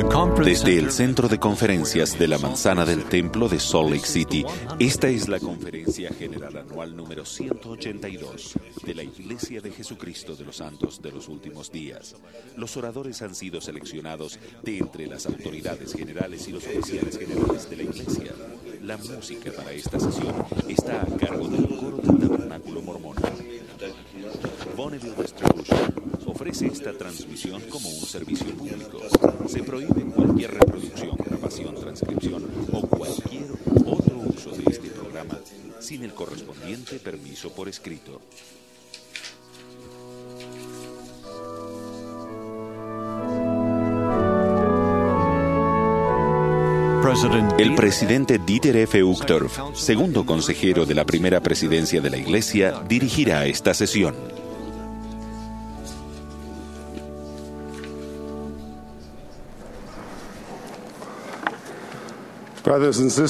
Desde el Centro de Conferencias de la Manzana del Templo de Salt Lake City, esta es la Conferencia General Anual número 182 de la Iglesia de Jesucristo de los Santos de los Últimos Días. Los oradores han sido seleccionados de entre las autoridades generales y los oficiales generales de la Iglesia. La música para esta sesión está a cargo del Coro del Tabernáculo Mormón. Bonneville Distribution ofrece esta transmisión como un servicio público. Se prohíbe cualquier reproducción, grabación, transcripción o cualquier otro uso de este programa sin el correspondiente permiso por escrito. El presidente Dieter F. Uchtdorf, segundo consejero de la primera presidencia de la Iglesia, dirigirá esta sesión.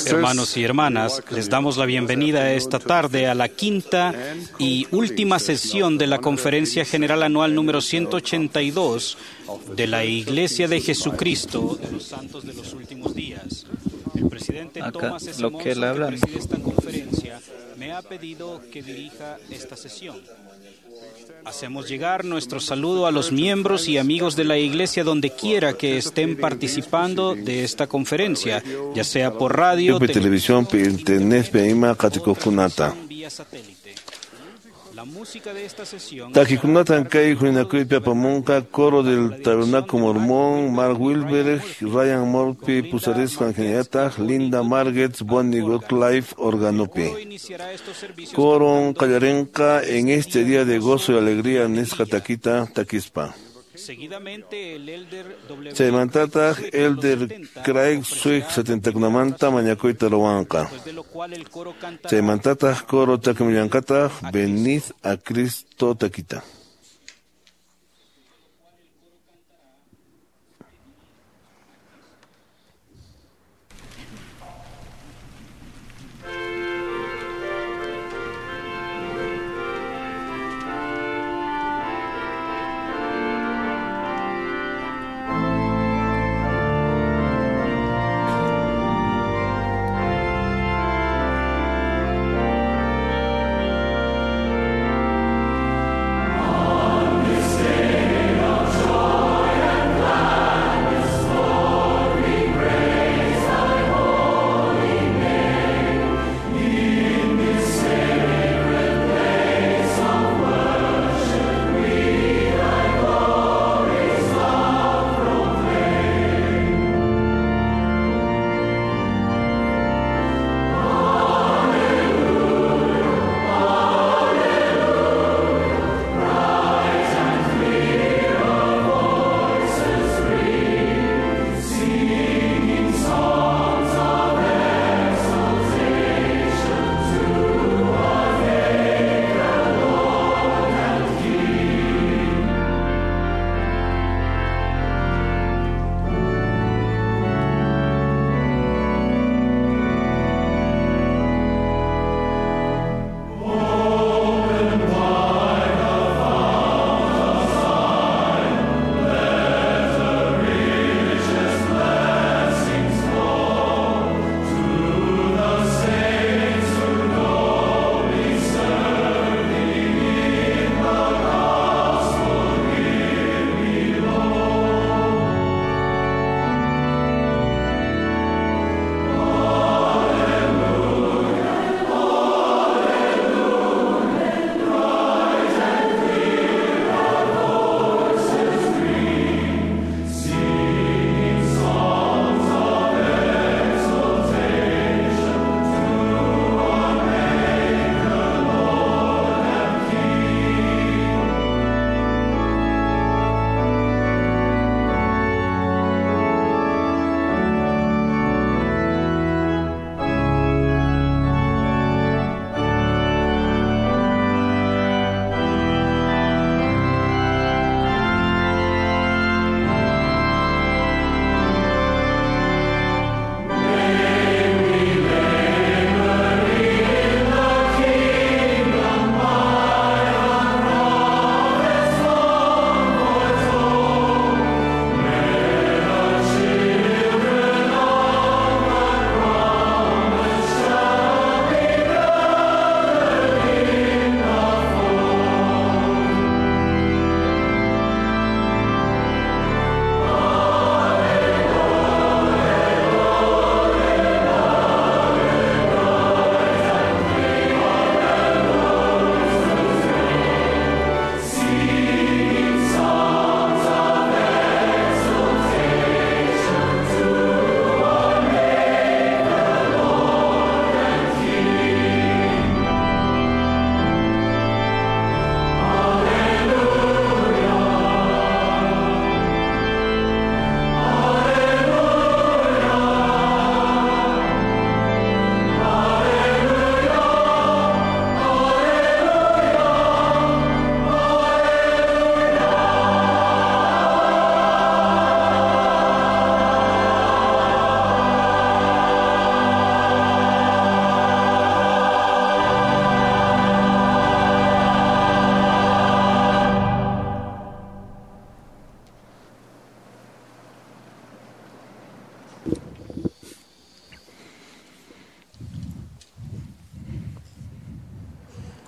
Hermanos y hermanas, les damos la bienvenida esta tarde a la quinta y última sesión de la Conferencia General Anual número 182 de la Iglesia de Jesucristo de los Santos de los Últimos Días. El presidente Thomas S. Lo que él Monson, que habla. preside esta conferencia, me ha pedido que dirija esta sesión. Hacemos llegar nuestro saludo a los miembros y amigos de la Iglesia donde quiera que estén participando de esta conferencia, ya sea por radio, Pi televisión, pi internet, pi ima qatikuqkunata. vía satélite. La música de esta sesión Takikunatan kay huñunakuypi apamunqa Coro del Tabernáculo Mormón, Mark Wilberg, Ryan Murphy pusarisqan hinallataq Linda Margetts, Bonnie Gottlieb organopi. iniciará estos servicios Coron qallarinqa en este día de gozo y alegría nisqa takita takispa. Seguidamente el elder W. Chaymantataq Elder Craig Swick 70kunamanta mañakuyta ruwanqa. después de lo cual el coro cantará Chaymantataq coro takimillanqataq Venid a Cristo takita. Amen.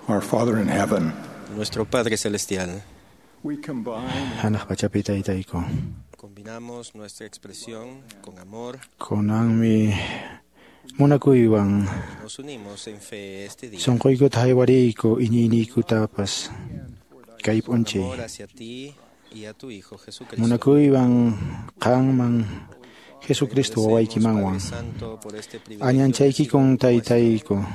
Our Father in heaven, Nuestro Padre Celestial, we combine Hanaq pachapi taytayku. combinamos nuestra expresión con amor Kunanmi munakuywan y nos unimos en fe este día. sunquykuta haywariyku iñiyniykutapas kay Con p'unchay. amor hacia ti y a tu Hijo Jesucristo. Munakuywan qanman Jesucristo Agradecemos, wawaykimanwan. Padre Santo, por este privilegio Añanchaykikun de sido taytayku.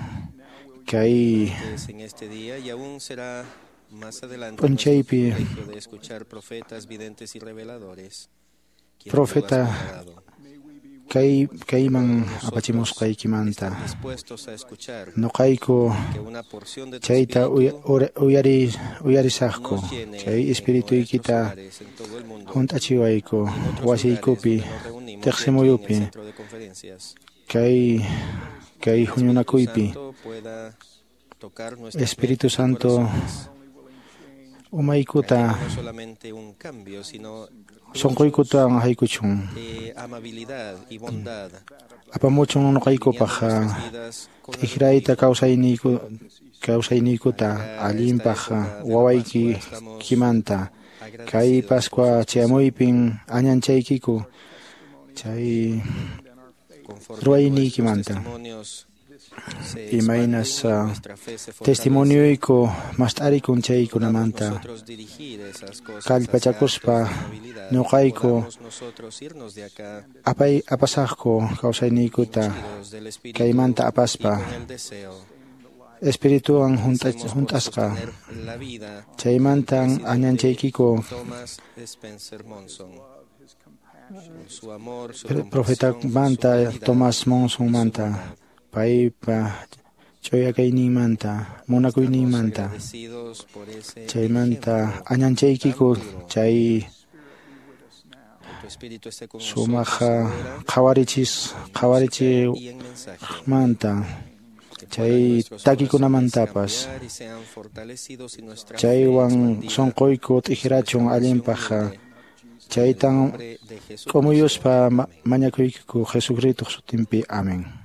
Kay vuestro en este día y aún será más adelante P'unchaypi nuestro privilegio de escuchar profetas, videntes y reveladores, quienes tú Profeta has preparado. kay kayman Nosotros apachimusqaykimanta estar dispuestos a escuchar nuqayku que una porción de tu chayta espíritu uyarisaqku nos llene chay en nuestros espirituykita hogares, en todo el mundo, hunt'achiwayku y en otros lugares wasiykupi donde nos reunimos y aquí en el tiqsimuyupi centro de conferencias. kay kay El Espíritu huñunakuypi Santo pueda tocar nuestras Espíritu mentes y Santo corazones, umaykuta trayendo no solamente un cambio, sino sunquykutawan haykuchun amabilidad y bondad, apamuchun nuqaykupaq alineando nuestras vidas con la t'ikrayta tuya. kawsayniyku kawsayniykuta allinpaq wawaykimanta kay Agradecidos Pascua chayamuypin añanchaykiku chay conforme ruwayniykimanta. nuestros testimonios se Imaynas, expanden, nuestra fe se fortalece. testimonioyku mast'arikun Podamos chaykunamanta nosotros dirigir esas cosas hacia kallpachakuspa actos de amabilidad. nuqayku Podamos nosotros irnos de acá apay apasaqku kawsayniykuta ungidos del Espíritu kaymanta y apaspa con el deseo. espirituwan Hacemos por hunt'asqa sostener la vida chaymantan del presidente añanchaykiku Thomas Spencer Monson. Con su amor, su compasión, su profetamanta fidelidad Thomas y su Monsonmanta bondad. paypa ch'uyakayninmanta Estamos munakuyninmanta agradecidos por ese chaymanta ejemplo añanchaykiku tan puro. chay Que tu Espíritu esté con sumaq nosotros ahora, qhawarichis en música qhawarichimanta y en mensaje. Que puedan chay nuestros corazones takikunamantapas cambiar y sean fortalecidos y nuestra fe chaywan expandida sunquyku t'ikrachun sobre esta allinpaq nación humilde. chaytan En el nombre de Jesucristo. k'umuyuspa Amén. mañakuykiku Jesucristo sutinpi amén. Thank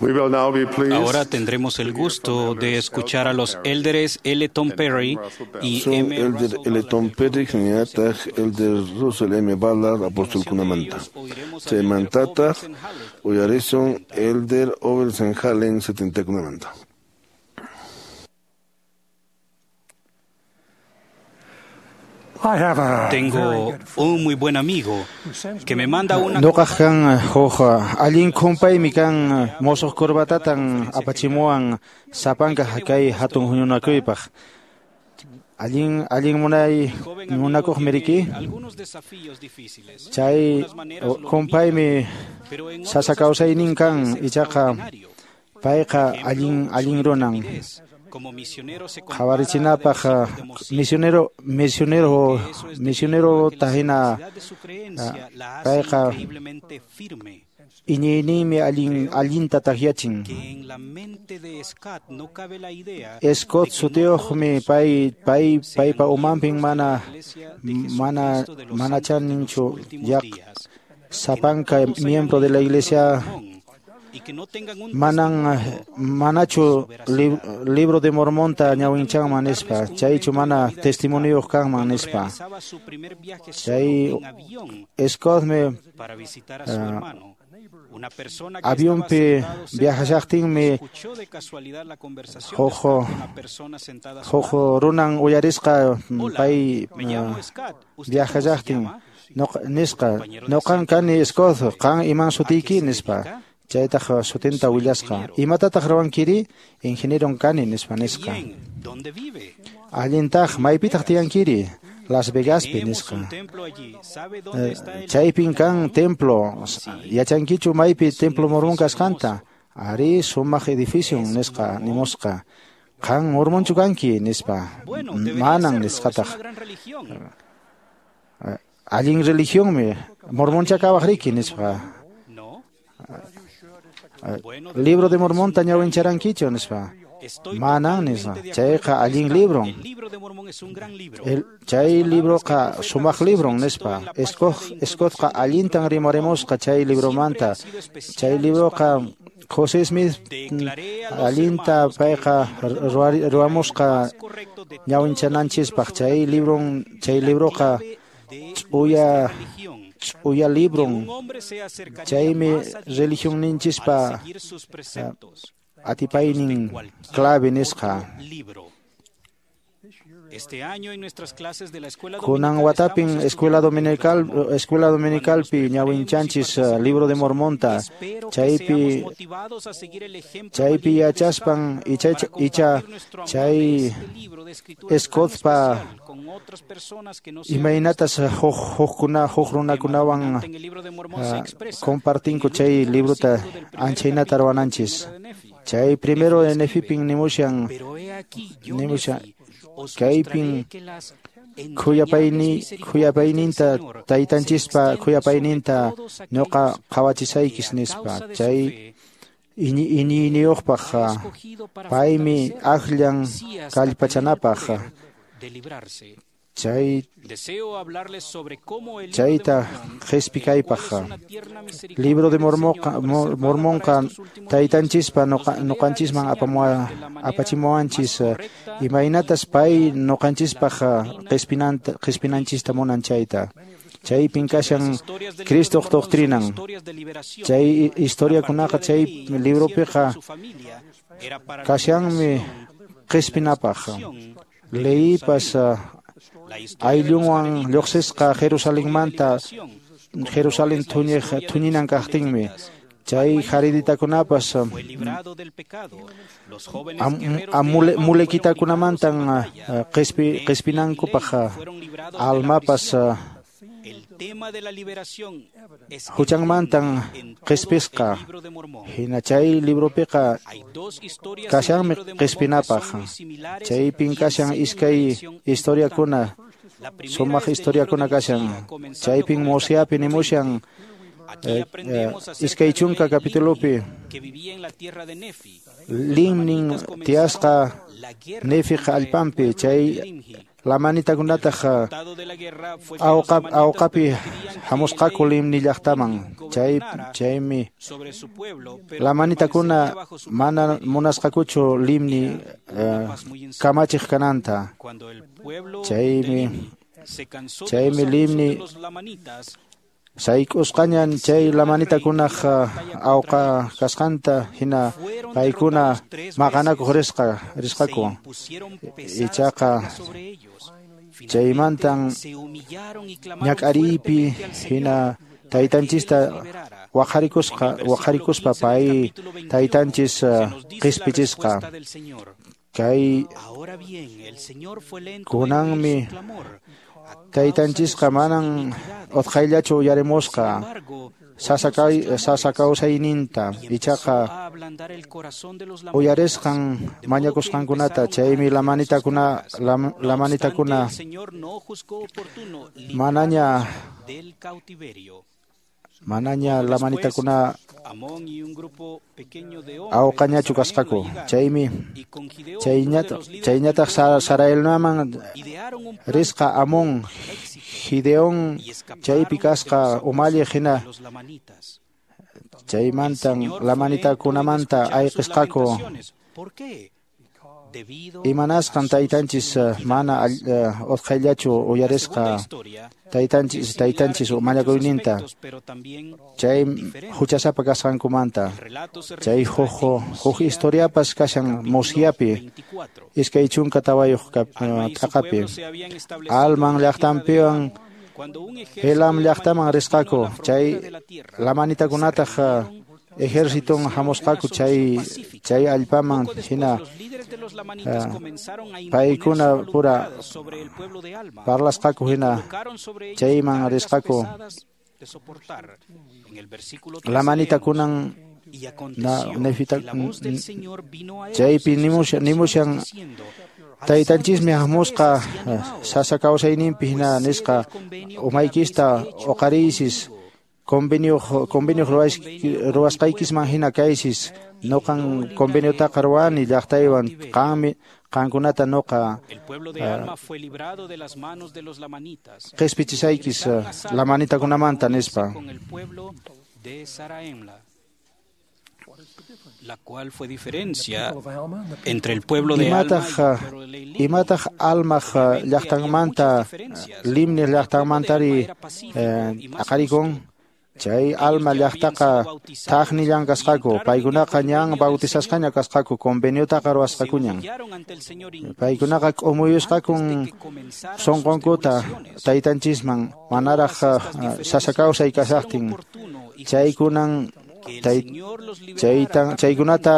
Ahora tendremos el gusto de escuchar a los élderes L. Tom Perry y Son M. Elder L. Tom Perry, hinallataq Elder Russell M. Ballard, apostolkunamanta. Chaymantataq uyarisun Elder Obersen Hallen 70kunamanta. Tengo un muy buen amigo que me manda una Nuqaq kan huk allin kumpaymi kan musuq corbatatan apachimuwan sapanka kay hatun huñunakuypaq. Allin allin munay joven munakuqmi amigo riki. tiene algunos desafíos difíciles. Chay De algunas maneras lo kumpaymi humillan, pero en otros sasa kawsaynin kan aspectos es ichaqa extraordinario. payqa Ejemplo, allin su allin runan. intrepidez como misionero se compara a la de Qhawarichinapaq los hijos de Mosía. misionero misionero Que eso es debido a misionero que la tahina sagacidad de su creencia la hace payqa increíblemente firme, iñiyninmi allin allinta takyachin. que en la mente de Scott no cabe la idea de Scott que no sutiyuqmi todos pay pay sean paypa umanpin miembros de la mana Iglesia de mana Jesucristo de los mana Santos de los chaninchu últimos yaq días, que no sapanka todos hayan miembro de leído la el libro de iglesia Mormón y que no tengan un manan testimonio manachu de su veracidad. libro de Mormonta Permítanme ñawinchanman contarles nispa un chaychu evento de la mana vida de Scott testimoniyuq kanman cuando nispa. realizaba su primer viaje solo Chay en avión Scottmi para visitar a su hermano. Una persona que estaba avionpi sentado cerca viajashaqtinmi escuchó de casualidad la conversación de huk Scott con la persona sentada a su huk lado. runan uyarisqa Hola, pay me llamo Scott. ¿Usted cómo se viajashaqtin llama? nisqa Compañero de nuqan asiento kani le Scott responde, qan iman ¿a qué sutiyki se nispa. dedica? Chaytaq sutinta Soy willasqa. ingeniero. Imatataq ruwankiri? Ingenieron kani nispa Qué nisqa. bien, ¿dónde vive? Allintaq maypitaq tiyankiri? Las Vegaspi Tenemos nisqa. un templo allí. ¿Sabe dónde está el Chaypin templo kan mormón? templo. Sí, Yachankichu maypi es un templo mormón edificio kasqanta? hermoso. Ari sumaq edificio ¿Es nisqa mormón? nimusqa. Qan mormonchu kanki nispa. Bueno, debería Manan serlo. Es nisqataq. una gran religión. Allin religionmi mormoncha ¿Ha leído kawaq el riki libro de nispa. Mormón? No. Bueno, Libro de debería, es Mormonta un gran libro. ñawincharankichu nispa. Estoy Manan nispa. totalmente de acuerdo Chayqa con allin Scott. libron. El libro de Mormón es un gran libro. El Las chay palabras que el libroqa profeta sumaq José libron Smith citó nispa. en la página de Scottqa introducción del libro allintan de Mormón rimarimusqa chay siempre libromanta. han sido Chay especiales para libroqa mí. José Smith Declaré a los allinta hermanos que el payqa libro de Mormón era el ruwamusqa más correcto de todos los libros ñawinchananchispaq. sobre la Chay tierra libron chay y la libroqa clave de ch'uya nuestra religión, ch'uya que un libron. hombre se acercaría Chaymi más a Dios al religionninchispa seguir sus preceptos que los de atipaynin cualquier clave otro nisqa. libro. Este año en nuestras clases de la escuela Kunan dominical watapin estamos escuela estudiando el libro de dominical Mormón. escuela Cuando nos dominicalpi preparemos y ñawinchanchis libro de participemos, Mormonta espero que chaypi seamos motivados a seguir el ejemplo chaypi valiente de Scott yachaspan icha para icha compartir nuestro amor de chay este libro de escrituras tan Scottpa especial con otras personas que no sean imaynatas cristianos. huk hukkuna huk Un tema runakunawan dominante en el libro de Mormón se expresa en compartinku el chay último librota versículo del primer anchaynata capítulo de ruwananchis. Primera de Nefi. Chay Nefi primero escribe, Nefipin nimushan pero he aquí yo, nimushan Nefi, os mostraré kaypin que las entrañables khuyapayni misericordias del khuyapayninta Señor se taytanchispa extienden sobre khuyapayninta todos ñuqa aquellos que qhawachisaykis a nispa. causa de su Chay fe iñiyniyuqpaq ha escogido para paymi fortalecerlo, akllan sí hasta tener el kallpachanapaq. poder de librarse. Chay Deseo hablarles sobre cómo el libro de chayta Mormón, el cual qhispikaypaq. es una tierna misericordia Libro de del Señor Mormonqa preservada para Mormonqa estos últimos días, taytanchispa nos libera al nuqanchisman enseñarnos de la manera más apachimuwanchis correcta y imaynatas pay pura la nuqanchispaq doctrina qhispinanta de qhispinanchista Cristo. munan chayta. Chaypin Las kashan historias del libro de Cristoq Mormón son doctrinan. historias de liberación. Chay La historiakunaqa partida de chay Lehi al desierto con libropiqa su familia era para la kashanmi liberación de la qhispinapaq. destrucción de Lehipas Jerusalén. La historia de los ayllunwan jareditas es lluqsisqa una historia de Jerusalenmanta liberación, como lo Jerusalén es la thuñiq historia de los thuñinan kaqtinmi. amalequitas. Chay Alma hijo jareditakunapas fue librado del pecado. Los jóvenes guerreros de Alma fueron librados en mulequitakunamantan batalla. Nefi y qhispinankupaq Lehi fueron librados de la almapas prisión. El tema de la liberación es huchanmantan evidente en todo el qhipisqa. libro de Mormón. Hina chay libropiqa Hay dos historias en el kashanmi libro de Mormón que son qhispinapaq. muy similares Chaypin y kashan enseñan una iskay lección importante. historiakuna La primera sumaq es del libro de historiakuna Mosía, kashan. comenzando Chaypin con el Mosiapi capítulo 20. nimushan Aquí aprendemos acerca iskay del chunka rey capitulopi Limni, que vivía en la tierra de Nefi. Los Limnin lamanitas comenzaron tiyasqa la guerra Nefiq contra el allpanpi pueblo de chay Limhi. lamanitakunataq El resultado de la guerra fue que los lamanitas awqapi permitirían que hamusqaku el rey Limni llaqtaman. Limhi Chaymi lamanitakuna mana munasqakuchu Limni kamachiq kananta. Chaymi Limni sayk'usqañan chay lamanitakunaq awqa kasqanta hina paykuna maqanakuq risqaku. Ichaqa chaymantan ñak'ariypi hina taytanchista waqharikuspa pay taytanchis qispichisqa. Kay kunanmi taytanchisqa manan utqhayllachu uyarimusqa sasa kawsayninta, ichaqa uyarisqan mañakusqankunata. Chaymi lamanitakuna manaña lamanitakuna awqañachu kasqaku. Chaymi chayñataq Saraelnaman risqa Amón, Gideón chaypi kasqa umalliq hina. Chaymantan lamanitakunamanta ayqisqaku. Imanasqan taytanchis mana utqhayllachu uyarisqa taytanchis mañakuyninta chay huchasapa kasqankumanta. Chay huk historiapas kashan Mosiapi 24 t'aqapi. Alman llaqtanpiwan Helam llaqtaman risqaku. Chay lamanitakunataq ejérciton hamusqaku chay allpaman hina paykuna pura parlasqaku hina chayman risqaku. Lamanitakunan nefita chaypi nimushan taytanchismi hamusqa sasa kawsayninpi hina nisqa umaykista uqariysis convenio ruwasqaykisman hina kaysis. Noqan conveniotaqa ruwani llaqtaywan, qanmi qankunata noqa qispichisaykis lamanitakunamanta nispa. La cual fue diferencia entre el pueblo de Alma y el pueblo de Limni. Imataq Almaq llaqtanmanta Limni llaqtanmantari aqarikun. Chay Alma llaqtaqa thaqnillan kasqaku. Paykunaqa ñan bautizasqaña kasqaku, conveniotaqa ruwasqakuñan. Paykunaqa k'umuyusqakun sunqunkuta taytanchisman manaraq sasa kawsay kashaqtin. Chaykunan chaykunata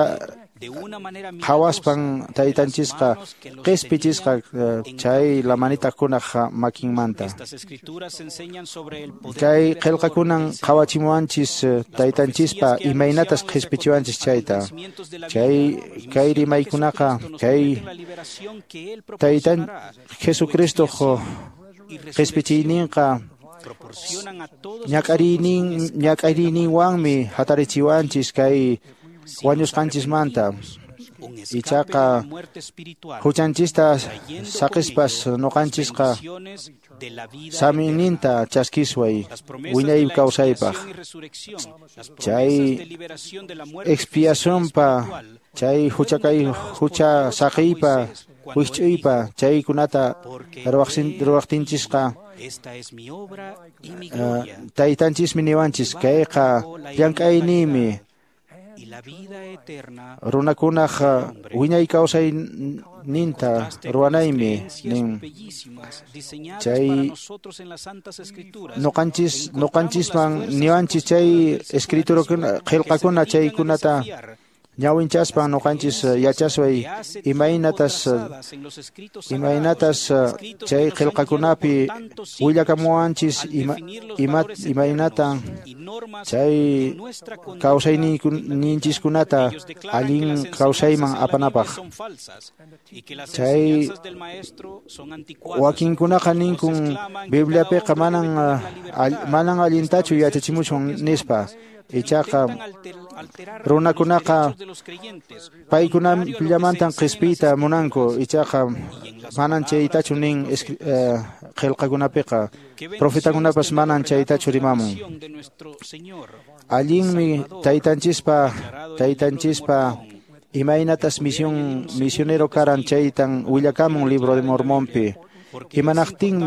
qhawaspan taytanchisqa qispichisqa chay lamanitakunaq makinmanta. Kay qillqakunan qhawachimuwanchis taytanchispa imaynatas qispichiwanchis chayta. Chay kay rimaykunaqa kay taytan Jesucristoq qispichiyninqa ñak'ariyninwanmi hatarichiwanchis kay wañusqanchismanta. Ichaqa huchanchista saqispas noqanchisqa saminninta chaskisway wiñay kawsaypaq. Chay expiacionpa, chay hucha saqiypa, wisch'uypa chaykunata ruwaqtinchisqa taytanchismi niwanchis kayqa llank'ayniymi runakunaq wiñay kawsayninta ruwanaymi nin. Chay noqanchisman niwanchis chay escriturakuna qillqakuna chaykunata ñawinchaspan noqanchis yachasway imaynatas chay qillqakunapi willakamuwanchis imaynatan chay kawsayninchiskunata allin kawsayman apanapaq. Chay wakinkunaqa ninkun Bibliapiqa manan allintachu yachachimuchun nispa. Ichaqa runakunaqa paykunallamantan qispiyta munanku, ichaqa manan chaytachu nin qillqakunapiqa, profetakunapas manan chaytachu rimamun. Allinmi taytanchispa imaynatas misionero karan chaytan willakamun Libro de Mormonpi. Imanaqtin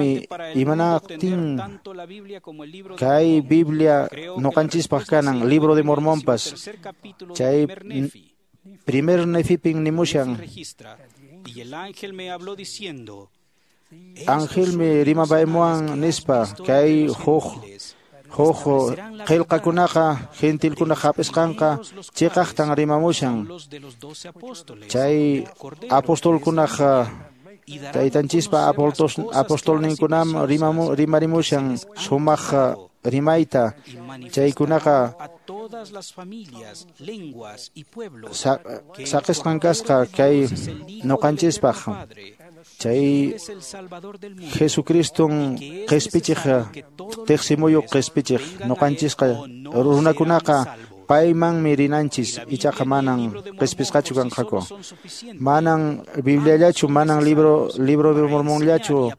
kay Biblia noqanchispaq kanan Libro de Mormonpas chay primer Nefipin nimushan. Angelmi rimapaymuwan nispa kay huk qillqakunaqa gentilkunaq hap'isqanqa chiqaqtan rimamushan. Chay apostolkunaq taytanchispa apostolninkunam rimarimushan sumaq rimayta. Chaykunaqa saqisqan kasqa kay noqanchispaq. Chay Jesucriston qispichiq tiqsimuyu qispichiq noqanchisqa runakunaqa paymanmi rinanchis, ichaqa manan qispisqachu kanqaku. Manan Bibliallachu, manan libro de Mormonllachu,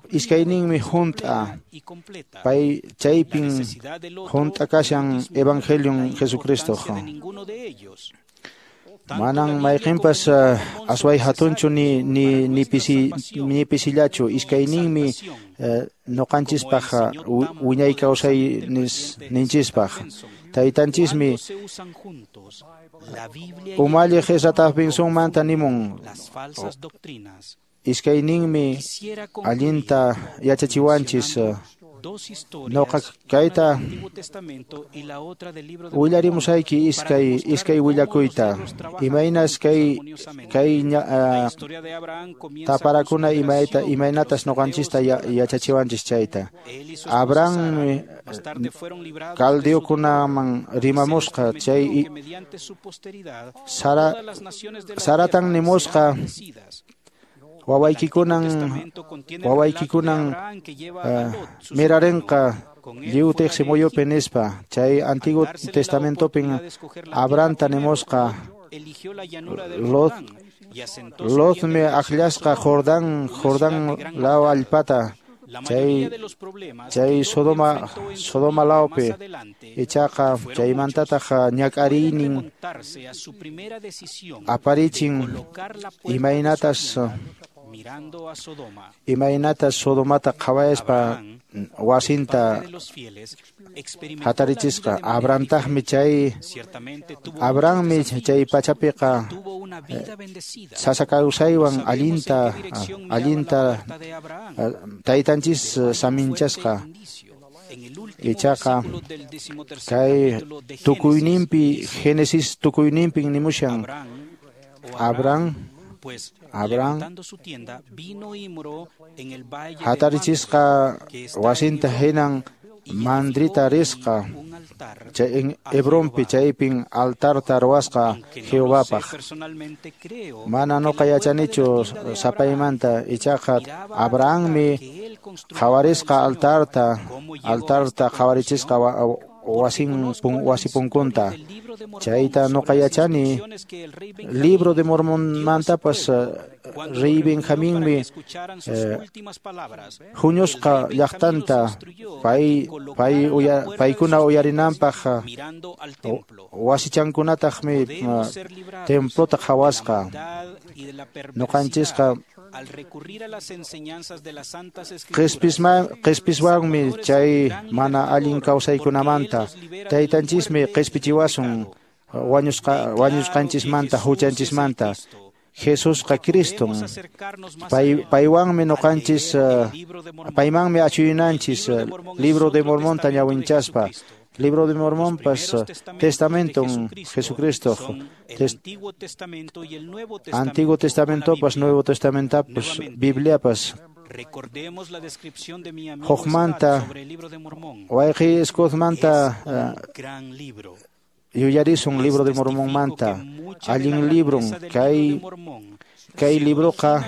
iskayninmi hunt'a. Pay chaypin hunt'a kashan Evangelion Jesucristo. Manan mayqinpas asway hatunchu ni pisillachu, iskayninmi noqanchispaq wiñay kawsay ninchispaq. Taytanchismi umalliq Ezra Bensonmanta nimun, iskayninmi allinta yachachiwanchis. Noqa kayta willarimusayki iskay willakuyta, imaynas kay taparakuna imaynatas noqanchista yachachiwanchis chayta. Abrahammi caldeokunaman rimamusqa, chay Saratan nimusqa wawaykikunan mirarenqa lliw tiqsimuyupi nispa. Chay Antiguo Testamentopin Abrahamta nimusqa Lotmi akllasqa Jordán law allpata, chay Sodoma lawpi, ichaqa chaymantataq ñak'ariynin aparichin imaynatas Sodomata qhawayaspa wasinta hatarichisqa. Abrahammi chay pachapiqa sasa kawsaywan allinta taytanchis saminchasqa. Ichaqa kay tukuyninpi Génesis tukuyninpin nimushan Abraham hatarichisqa wasinta hinan mandrita risqa chay Hebronpi, chaypin altarta ruwasqa Jehovapaq. Mana noqa yachanichu sapaymanta, ichaqa Abrahammi qhawarisqa altarta qhawarichisqa wasi punkunta. Chayta noqa yachani Libro de Mormonmantapas rey Benjaminmi huñusqa llaqtanta paykuna uyarinanpaq wasichankunataqmi templota qhawasqa. Noqanchisqa qispiswanmi chay mana allin kawsaykunamanta. Taytanchismi qispichiwasun wañusqanchismanta, huchanchismanta. Jesusqa Criston, paywanmi noqanchis, paymanmi achuyunanchis Libro de Mormonta ñawinchaspa. Libro de Mormonpas Testamenton Jesucristo, Antiguo Testamentopas, Nuevo Testamentapas, Bibliapas. Hukmanta wayqi Scottmanta yuyarisun Libro de Mormonmanta, allin libron kay libroqa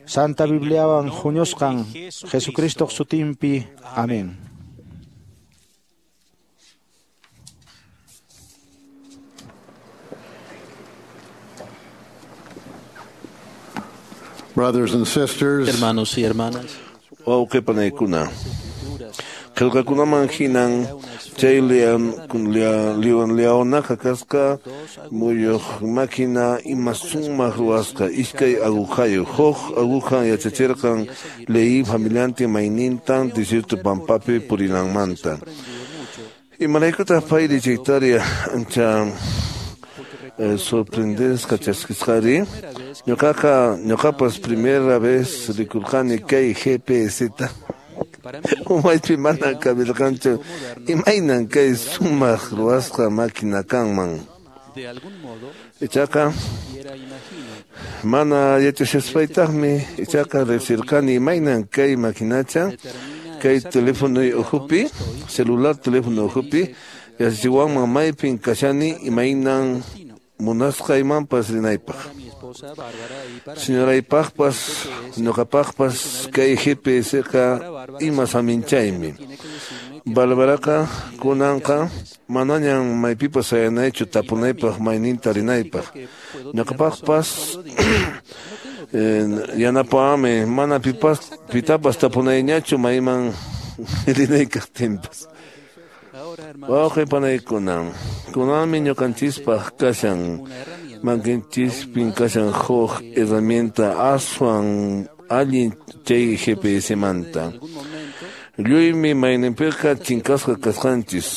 Santa Bibliawan huñusqan Jesucristo sutinpi. Amén. Brothers and sisters, Hermanos y hermanas, Wawqi panaykuna, qillqakunaman hinan chay leonaqa kasqa muyuq máquina ima sumaq ruwasqa iskay aguhayuq. Huk aguhan yachachirqan Lehi familiantin maynintan desierto pampapi purinanmanta. Imaraykutaq payri chaytaria ancha sorprendesqa chaskisqari? Ñuqapas primera vez rikurqani kay GPS-ta. Umaypi mana kabirqanchu imaynan kay sumaq ruwasqa máquina kanman. Ichaqa mana yachashaspaytaqmi ichaqa riqsirqani imaynan kay maquinacha kay teléfono ukhupi, celular teléfono ukhupi yachachiwanman maypin kashani imaynan munasqaymanpas rinaypaq. Señoraypaqpas ñuqapaqpas kay GPS-qa ima saminchaymi. Bárbaraqa kunanqa manañan maypipas sayanaychu tapunaypaq mayninta rinaypaq. Ñuqapaqpas yanapawanmi mana pitapas tapunayñachu mayman rinay kaqtinpas. Wawqi panaykuna, kunanmi ñuqanchispaq kashan makinchispin kashan huk herramienta aswan allin chay GPS-manta. Lluymi mayninpiqa chinkasqa kasqanchis.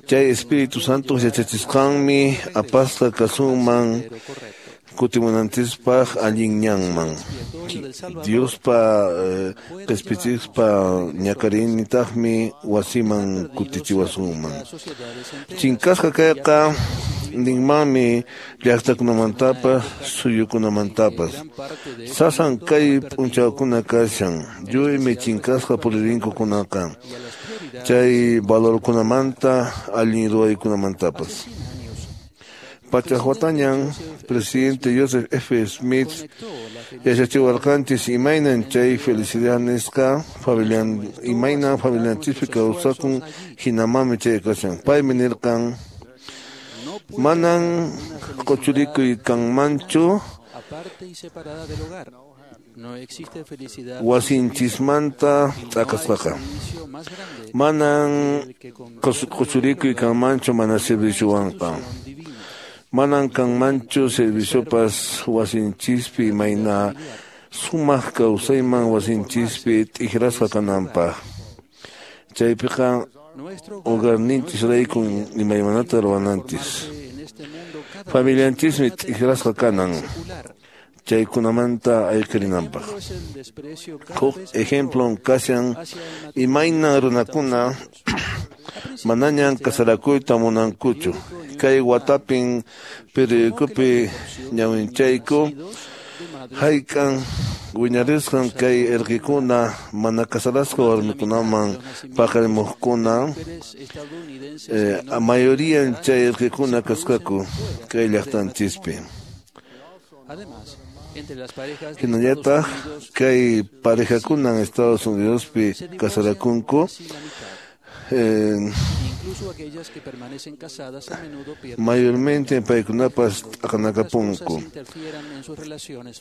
Chay Espíritu Santo yachachisqanmi apasqa kasunman kutimunanchispaq allin ñanman. Diospa qhispichispa ñakariynintaqmi wasiman kutichiwasunman. Chinkasqa kayqa ninmanmi llaqtakunamantapas suyukunamantapas. Sasan kay p'unchawkuna kashan, lluymi chinkasqa puririnkukunaqa chay valorkunamanta allin ruwaykunamantapas. Pachaq watañan presidente Joseph F. Smith yachachiwarqanchis imaynan chay felicidad nisqa imaynan familianchispi kawsakun hinamanmi chay kashan. Paymi nirqan manan quchurikuy kanmanchu wasinchismanta t'aqasqaqa. Manan quchurikuy kanmanchu mana serviciowanqa. Manan kanmanchu serviciopas wasinchispi imayna sumaq kawsayman wasinchispi t'ikrasqa kananpaq. Chaypiqa hogarninchisraykun imaymanata ruwananchis. Familianchismi t'ikrasqa kanan chaykunamanta ayqirinanpaq. Huk ejemplon kashan imayna runakuna manañan kasarakuyta munankuchu. Kay watapin periodicopi ñawinchayku hayk'an wiñarisqan kay erqikuna mana kasarasqa warmikunaman paqarimuqkuna mayoría chay erqikuna kasqaku kay llaqtanchispi. Hinallataq kay parejakuna en Estados Unidospi kasarakunku mayormente paykunapas t'aqanakapunku.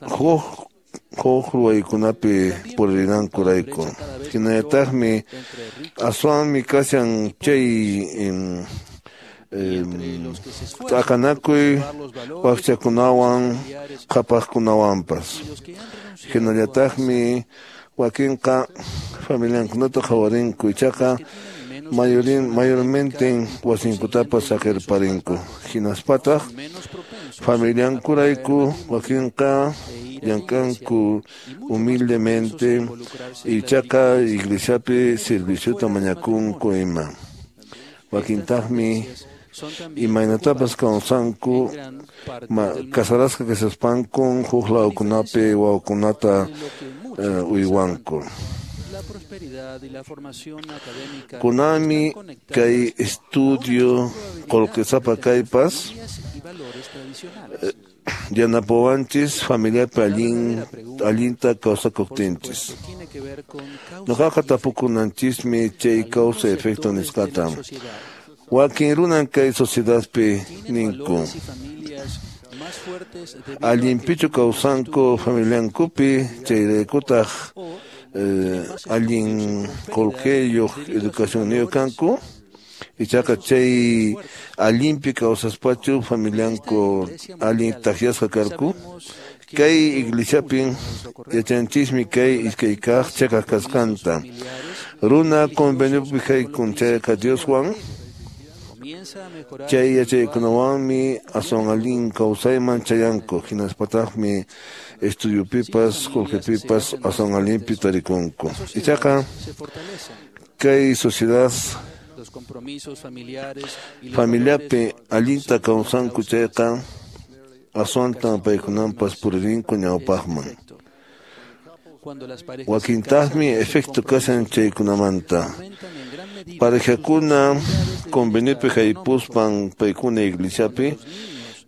Huk ruwaykunapi purinankurayku. Hinallataqmi aswanmi kashan chay t'aqanakuy wakchakunawan qhapaqkunawanpas. Hinallataqmi wakinqa familiankunata qhawarinku ichaqa mayormente wasinkutapas saqirparinku. Hinaspataq familiankurayku wakinqa llank'anku humildemente ichaqa iglesiapi serviciota mañakunku ima. Wakintaqmi imaynatapas kawsanku kasarasqa kashaspankun huk lawkunapi wawakunata uywanku. Kunanmi kay estudio qullqisapa kaypas yanapawanchis familiapi allinta kawsakuqtinchis. Ñuqaqa tapukunanchismi chay causa efecto nisqata. Wakin runan kay sociedadpi ninku. Allinpichu kawsanku familiankupi, chayraykutaq allin qullqiyuq educacionniyuq kanku. Ichaqa chay allinpi kawsaspachu familianku allin takyasqa karku. Kay iglesiapin yachanchismi kay iskay kaq cheqaq kasqanta. Runa conveniopi haykun chayqa Dioswan, chay yachaykunawanmi aswan allin kawsayman chayanku, hinaspataqmi estudiopipas qullqipipas aswan allinpi tarikunku. Ichaqa kay sociedad familiapi allinta kawsanku chayqa aswantan paykunanpas puririnku ñawpaqman. Wakintaqmi efecto kashan chaykunamanta. Parejakuna conveniopi haypuspan paykuna iglesiapi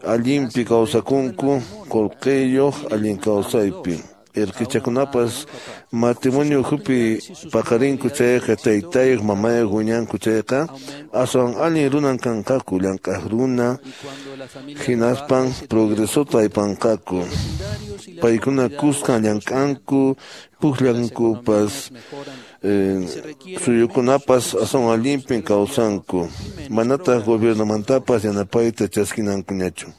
allinpi kawsakunku qullqiyuq allin kawsaypi. Erqichakunapas matrimonio ukhupi paqarinku chayqa taytayuq mamayuq wiñanku chayqa aswan allin runan kanqaku, llank'aq runa, hinaspan progresota aypanqaku. Paykuna kuskan llank'anku, pukllankupas, suyukunapas aswan allinpin kawsanku, manataq gobiernomantapas yanapayta chaskinankuñachu.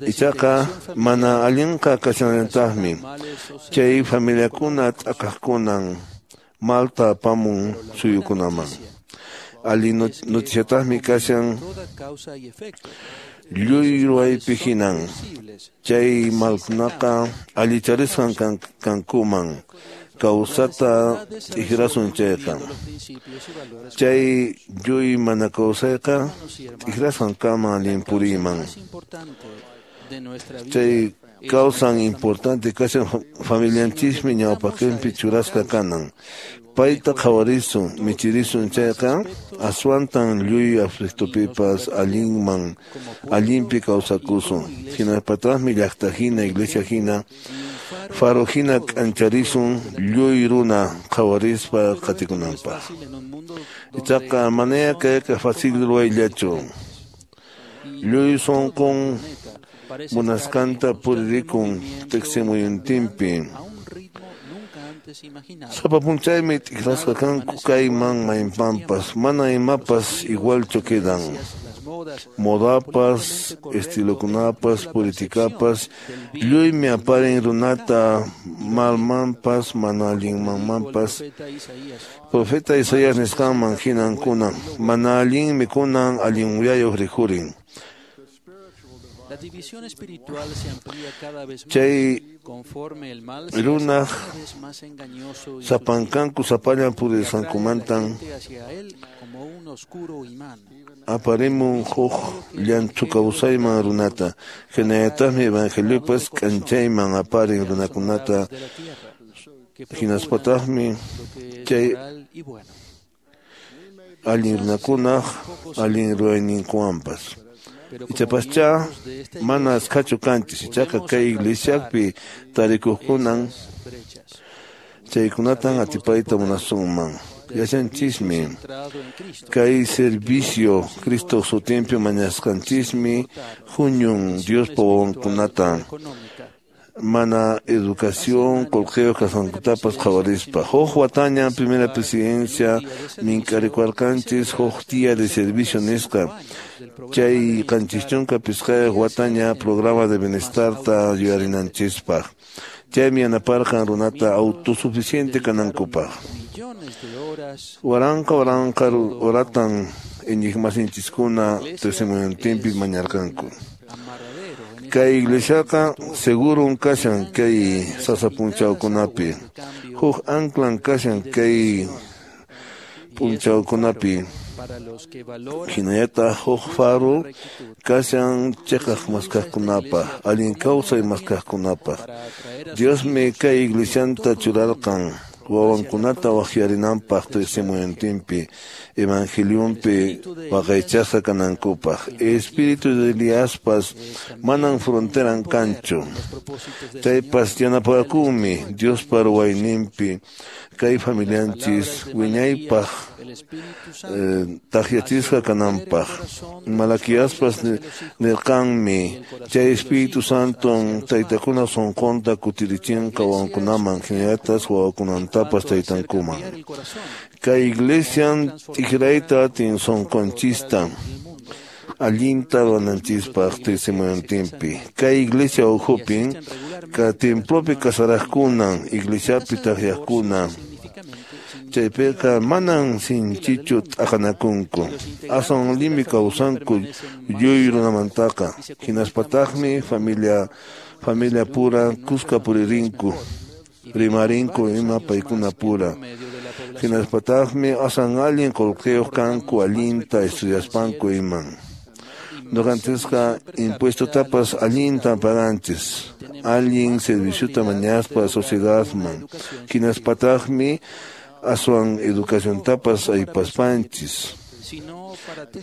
Ichaqa mana allinqa kashanallantaqmi. Chay familiakuna t'aqaqkunan malta apamun suyukunaman. Allin noticiataqmi kashan lluy ruwaypi hinan. Chay malkunaqa allicharisqan kankuman kawsata t'ikrasun chayqa. Chay lluy mana kawsayqa t'ikrasqan kama allin puriyman. Chay kawsan importante kashan familianchismi ñawpaqinpi churasqa kanan. Payta qhawarisun, michirisun chayqa aswantan lluy aflictopipas allinman allinpi kawsakusun. Hinaspataqmi llaqta hina, iglesia hina, faro hina k'ancharisun lluy runa qhawarispa qatikunanpaq. Ichaqa manaya kayqa fácil ruwayllachu. Lluy sunqun munasqanta puririkun tiqsimuyuntinpi. Sapa p'unchaymi t'ikrasqa kanku kayman maymanpas, mana imapas igualchu quedan. Modapas, estilokunapas, politikapas, lluymi aparin runata malmanpas, mana allinmanmanpas. Profeta Isaías nisqanman hinan kunan, mana allinmi kunan allin uyayuq rikhurin. Chay runaq sapankanku sapallan purisqankumantan aparimun huk llanthu kawsayman runata. Hinallataqmi evangeliopas k'anchayman aparin runakunata. Hinaspataqmi chay allin runakunaq allin ruwayninkuwanpas. Ichapascha mana askhachu kanchis, ichaqa kay iglesiapi tarikuqkunan chaykunatan atipayta munasunman. Yachanchismi kay servicio Cristo sutinpi mañasqanchismi huñun Diospa wawankunata mana educación qullqiyuq kasqankutapas qhawarispa. Huk wataña primera presidencia mink'arikuwarqanchis huk día de servicio nisqa. Chay 75 wataña programa de bienestarta yuyarinanchispaq. Chaymi yanaparqan runata autosuficiente kanankupaq. Waranqa waranqa horatan iñiqmasinchiskuna tiqsimuyuntinpi mañarqanku. Kay iglesiaqa segurun kashan kay sasa p'unchawkunapi. Huk anclan kashan kay p'unchawkunapi. Hinallataq huk faro kashan cheqaq maskaqkunapaq, allin kawsay maskaqkunapaq. Diosmi kay iglesianta churarqan wawankunata waqyarinanpaq tiqsimuyuntinpi. evangelionpi waqaychasqa kanankupaq. Espíritu de Eliaspas manan fronteran kanchu. Chaypas yanapakunmi Diospa ruwayninpi kay familianchis wiñaypaq takyachisqa kananpaq. Malaquiaspas nirqanmi chay Espíritu Santon taytakuna sunqunta kutirichinqa wawakunaman hinallatas wawakunantapas taytankuman. Kay iglesian t'ikrayta atin sunqunchista allinta ruwananchispaq testimoniontinpi. Kay iglesia ukhupin ka templopi kasaraqkunan iglesiapi takyaqkuna chaypiqa manan sinchichu t'aqanakunku, aswan allinmi kawsanku lluy runamantaqa, hinaspataqmi familia pura kuska puririnku, rimarinku ima paykuna pura. Hinaspataqmi aswan allin qullqiyuq kanku allinta estudiaspanku iman. Ñuqanchisqa impuestotapas allinta paganchis, allin serviciota mañaspa sociedadman, hinaspataqmi aswan educaciontapas aypaspanchis.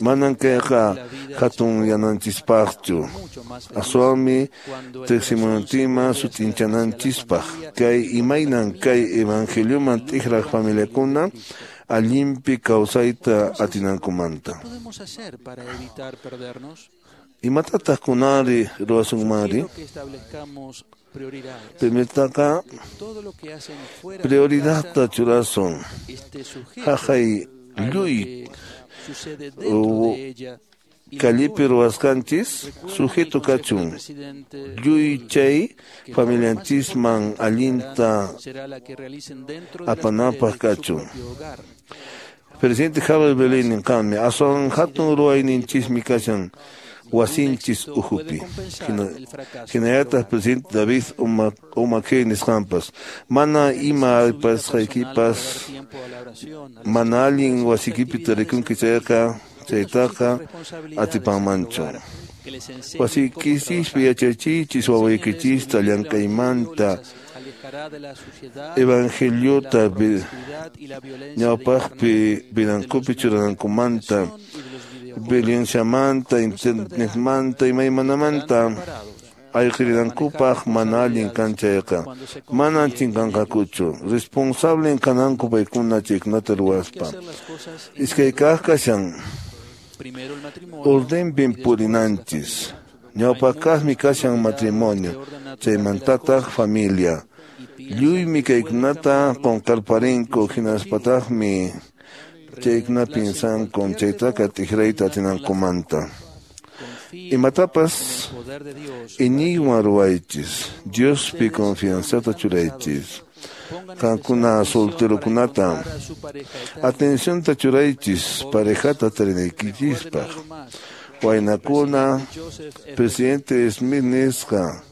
Manan kayqa hatun yananchispaqchu, aswanmi tiqsimunantinman sut'inchananchispaq. Kay imaynan kay evangelioman t'ikraq familiakuna allinpi kawsayta atinankumanta. Imatataq kunanri ruwasunmanri? Primertaqa prioridadta churasun. Haqay lluy kallipi ruwasqanchis sujeto kachun. Lluy chay familianchisman allinta apanapaq kachun. Presidente Javier Belén ninqanmi aswan hatun ruwayninchismi kashan wasinchis ukhupi. Hinallataq presidente David Umakey nisqanpas mana ima aypasqaykipas mana allin wasikipi tarikunki chayqa chaytaqa atipanmanchu. Wasiykichispi yachachiychis wawaykichista llank'aymanta evangeliota ñawpaqpi vidankupi churanankumanta, violenciamanta, internetmanta, imaymanamanta ayqirinankupaq mana allin kan chayqa manan chinkanqakuchu. Responsable kananku paykuna chaykunata ruwaspa. Iskay kaq kashan ordenpin purinanchis. Ñawpaqkaqmi kashan matrimonio, chaymantataq familia. Lluymi kaykunata qunqarparinku hinaspataqmi chaykuna piensanku chaytaqa t'ikrayta atinankumanta. Imatapas iñiywan ruwaychis, Diospi confianzata churaychis. Qankuna solterokunata atencionta churaychis parejata tarinaykichispaq. Waynakuna, presidente Smith nisqa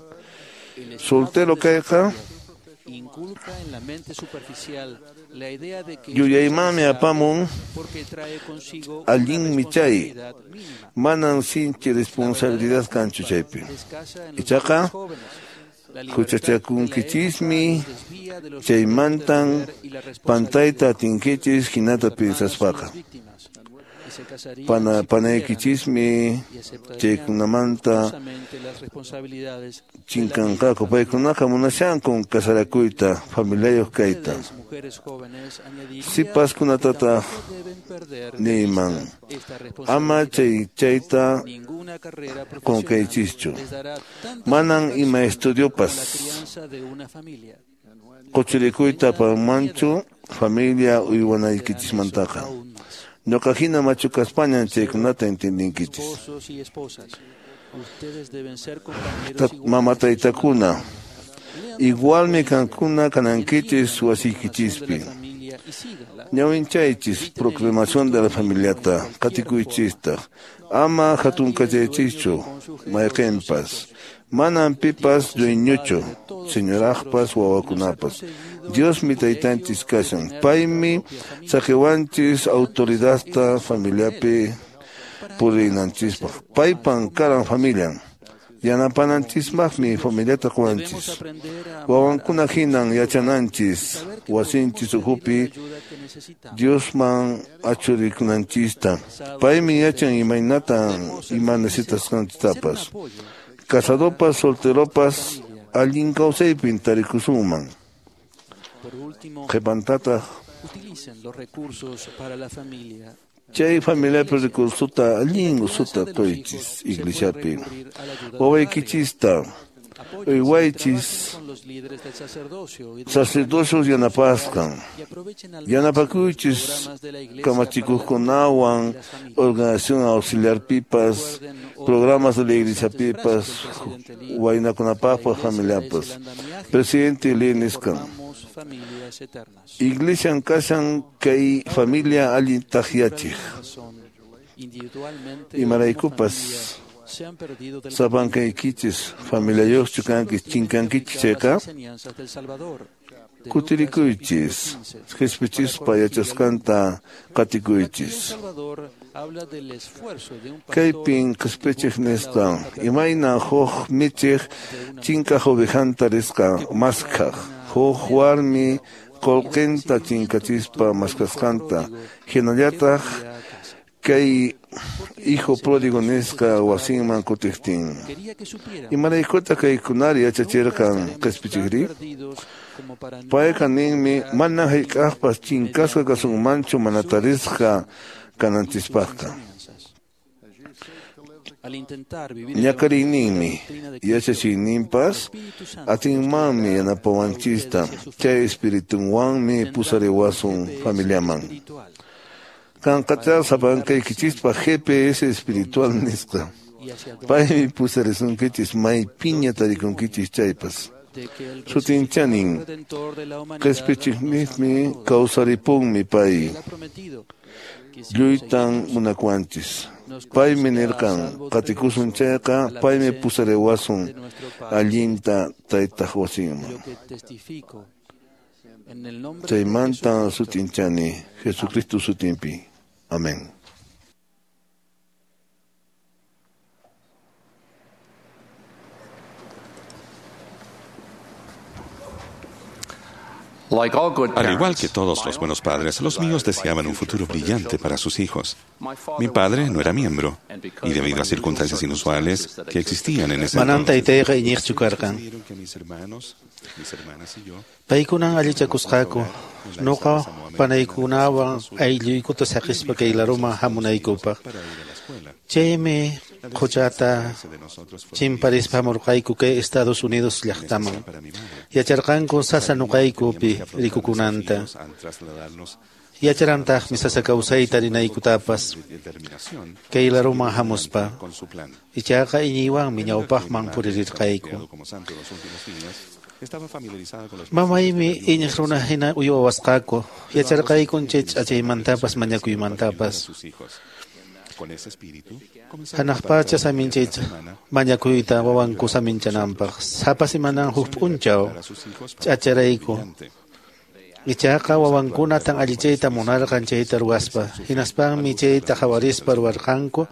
soltero kayqa yuyaymanmi apamun allinmi chay, manan sinchi responsabilidad kanchu chaypi. Ichaqa huchachakunkichismi chaymantan pantayta atinkichis hinata piensaspaqa. Panaykichismi chaykunamanta chinkanqaku. Paykunaqa munashankun kasarakuyta, familiayuq kayta. Sipaskunatataq niyman ama chayta qunqaychischu. Manan ima estudiopas quchurikuyta apanmanchu familia uywanaykichishmantaqa. Ñuqa hina machu kaspañan chaykunata entendinkichis. Mama taytakuna igualmi kankuna kanankichis wasiykichispi. Ñawinchaychis proclamación de la familiata qatikuychistaq. Ama hatunkachaychischu mayqinpas. Manan pipas dueñochu, señoraqpas wawakunapas. Diosmi taytanchis kashan. Paymi saqiwanchis autoridadta familiapi purinanchispaq. Paypan karan familian. Yanapananchismaqmi familiata quwanchis. Wawankuna hinan yachananchis wasinchis ukhupi Diosman achurikunanchista. Paymi yachan imaynatan ima necesitasqanchistapas. Casadopas, solteropas, allin kawsaypin tarikusunman. Qhipantataq chay familiapi recursota allin usuta quychis iglesiapi. Wawaykichista uywaychis sacerdocios yanapasqan. Yanapakuychis kamachikuqkunawan organización auxiliar pipas, programas de la iglesia pipas, waynakunapaqpas, familiapas. Presidente Lee nisqan. Iglesian kashan kay familia allin taqyachiq. Imaraykupas sapankaykichis familiayuqchu kanki chinkankichis chayqa kutirikuychis qhispichispa yachasqanta qatikuychis. Kaypin qhispichiq nisqa imayna huk michiq chinkaq ovejanta risqa maskhaq huk warmi qullqinta chinkachispa maskasqanta hinallataq kay hijo pródigo nisqa wasinman kutiqtin. Imaraykutaq kaykunari yachachirqan qhispichiqri? Payqa ninmi mana hayk'aqpas chinkasqa kasunmanchu mana tarisqa kananchispaqqa. Ñakariyninmi yachachiyninpas atinmanmi yanapawanchista chay espiritunwanmi pusariwasun familiaman. Kanqacha sapankaykichispaq GPS espiritual nisqa. Paymi pusarisunkichis maypiña tarikunkichis chaypas. Sutinchanin qhispichiqninmi kawsaripunmi pay. Lluytan munakuwanchis. Paymi nirqan qatikusun chayqa paymi pusariwasun allinta taytaq wasinman. Chaymanta sutinchani Jesucristo sutinpi. Amén. Al igual que todos los buenos padres, los míos deseaban un futuro brillante para sus hijos. Mi padre no era miembro, y debido a circunstancias inusuales que existían en ese Manan entonces, taytayqa iñiqchu karqan. decidieron que mis hermanos, mis hermanas y yo Paykunan allichakusqaku, nuqa panaykunawan aylluykuta saqispa kay laruman hamunaykupaq. para ir a la escuela. Chaymi quchata De nosotros fue chimparispa hamurqayku kay Estados Unidos llaqtaman. para mi madre. Yacharqanku sasa nuqaykupi rikukunanta. Al trasladarnos Yacharantaqmi sasa kawsayta rinaykutapas de determinación kay laruman hamuspa. con su plan. Ichaqa iñiywanmi ñawpaqman purirqayku. Creado como santo en los últimos días, estaba familiarizada con los Mamaymi iñiq runa hina uywawasqaku. Yacharqaykun chay ch'achaymantapas mañakuymantapas. sus hijos. Con ese espíritu, comenzaron Hanaq a preparar pacha saminchay cada semana mañakuyta wawanku saminchananpaq. Sapa simanan huk p'unchaw a sus hijos para ch'acharayku. brillante. Ichaqa wawankunatan allichayta munarqan chayta ruwaspa. Hinaspanmi chayta qhawarispa ruwarqanku.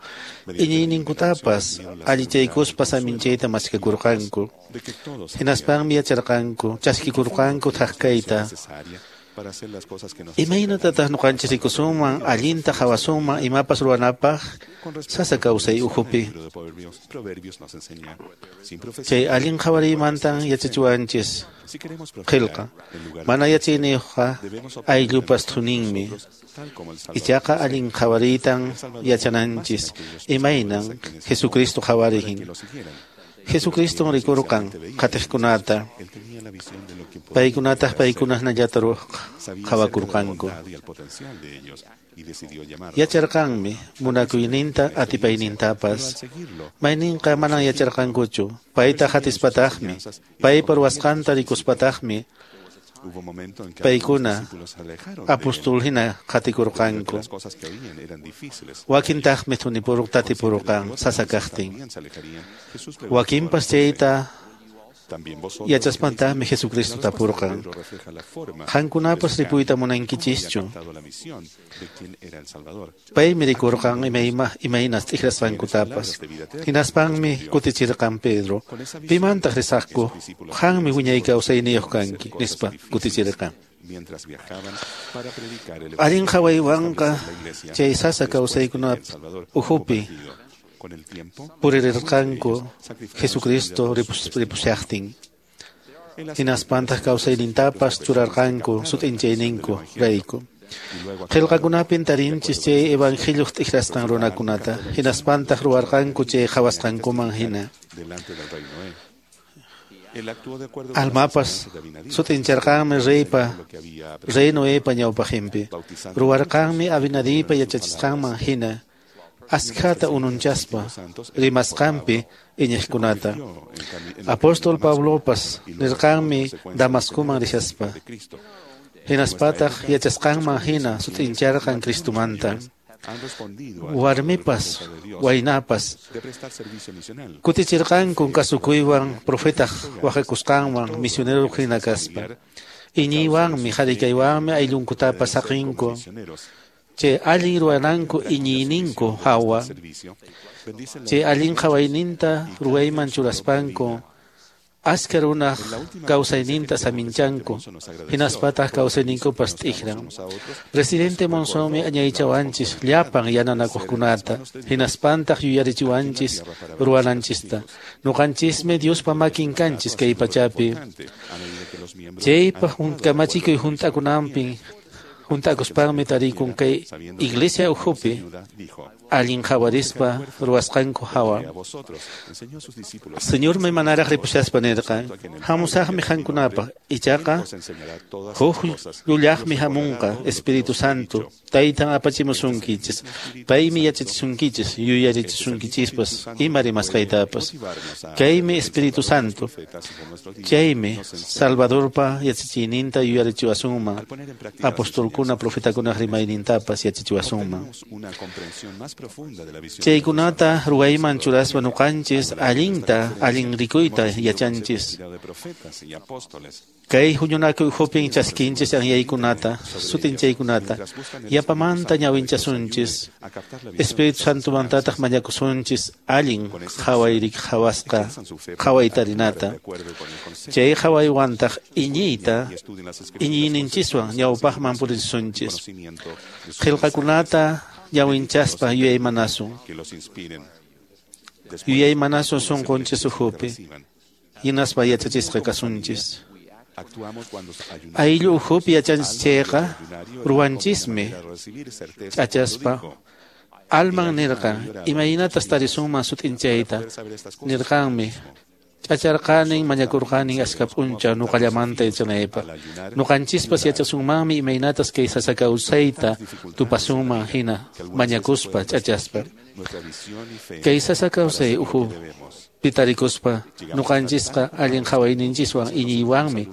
Iñiyninkutapas allichaykuspa saminchayta maskakurqanku. De que todos Hinaspanmi yacharqanku, chaskikurqanku thak kayta. necesaria para hacer las cosas que nos Imaynatataq ñuqanchis rikusunman, allinta qhawasunman imapas ruwanapaq sasa kawsay ukhupi. El libro de Proverbios, Proverbios nos enseña, sin profecía, Chay allin qhawariymantan yachachiwanchis si queremos qillqa. prosperar, en lugar de Mana yachayniyuqqa debemos obtener ayllupas thuninmi. nosotros, tal como el Salvador. Ichaqa allin qhawariytan yachananchis imaynan Jesucristo que qhawarihin. lo siguieran. Jesucriston rikurqan qatiqkunata. Él tenía la visión de lo que podía Paykunataq llegar a ser. paykunasnallata Sabía acerca de la qhawakurqanku. bondad y el potencial de ellos, y decidió llamarlos. Yacharqanmi munakuyninta Pero al atipaynintapas. seguirlo, Mayninqa manan yacharqankuchu. Payta hatispataqmi, paypa ruwasqanta rikuspataqmi hubo momento en que paykuna algunos discípulos se alejaron de él, apóstol hina debido a que qatikurqanku. las cosas que oían eran difíciles. Wakintaqmi thunipurq tatipurqan Otros sasa kaqtin. también se alejarían. Jesús preguntó a Wakinpas los doce, chayta Yachaspantaqmi Jesucristo tapurqan, qankunapas ripuyta munankichischu? Paymi rikurqan imaynas t'ikrasqankutapas. Hinaspanmi kutichirqan Pedro, pimantaq risaqku? Qanmi wiñay kawsayniyuq kanki, nispa kutichirqan. Allin qhawaywanqa chay sasa kawsaykunap ukhupi puririrqanku Jesucristo ripushaqtin. Hinaspantaq kawsaynintapas churarqanku sut'inchayninku rayku. Qillqakunapin tarinchis chay evangelioq t'ikrasqan runakunata, hinaspantaq ruwarqanku chay qhawasqankuman hina. Almapas sut'incharqanmi rey Noepa ñawpaqinpi, ruwarqanmi Abinadipa yachachisqanman hina, askhata ununchaspa rimasqanpi iñiqkunata. Apóstol Pablopas nirqanmi Damascoman rishaspa, hinaspataq yachasqanman hina sut'incharqan Cristomanta. Warmipas, waynapas kutichirqanku kasukuywan profetaq waqakusqanwan misionero hina kaspa. Iñiywanmi harikaywanmi ayllunkutapas saqinku, chay allin ruwananku iñiyninku hawa, chay allin qhawayninta ruwayman churaspanku askha runaq kawsayninta saminchanku, hinaspataq kawsayninkupas t'ikran. Presidente Monsonmi añaychawanchis llapan yananakuqkunata, hinaspantaq yuyarichiwanchis ruwananchista. Nuqanchismi Diospa makin kanchis kay pachapi. Chaypa kamachikuy hunt'akunanpi hunt'akuspanmi tarikun kay iglesia ukhupi allin qhawarispa ruwasqanku hawa. Señormi manaraq ripushaspa nirqan, hamusaqmi qankunapaq, ichaqa huk llullaqmi hamunqa, Espíritu Santo, taytan apachimusunkichis, paymi yachachisunkichis, yuyarichisunkichispas, ima rimasqaytapas. Kaymi Espíritu Santo, chaymi Salvadorpa yachachiyninta yuyarichiwasunman, apostolkuna profetakunaq rimaynintapas yachachiwasunman. Chaykunata ruwayman churaspa nuqanchis allinta allin rikuyta yachanchis. Kay huñunakuy ukhupi chaskinchis anyaykunata, sut'inchaykunata, yapamanta ñawinchasunchis, Espíritu Santomantataq mañakusunchis allin qhawasqa qhawaytarinata. Chay qhawaywantaq iñiyta iñiyninchiswan ñawpaqman purisunchis. Qillqakunata ñawinchaspa yuyaymanasun. Yuyaymanasun sunqunchis ukhupi, hinaspa yachachisqa kasunchis. Ayllu ukhupi yachanchis chayqa ruwanchismi ch'achaspa. Alman nirqan, imaynatas tarisunman sut'inchayta? Nirqanmi, ch'acharqanin mañakurqanin askha p'unchaw nuqallamanta yachanaypaq. Nuqanchispas yachasunmanmi imaynatas kay sasa kawsayta tupasunman hina mañakuspa ch'achaspa. Kay sasa kawsay ukhupi tarikuspa nuqanchisqa allin qhawayninchiswan iñiywanmi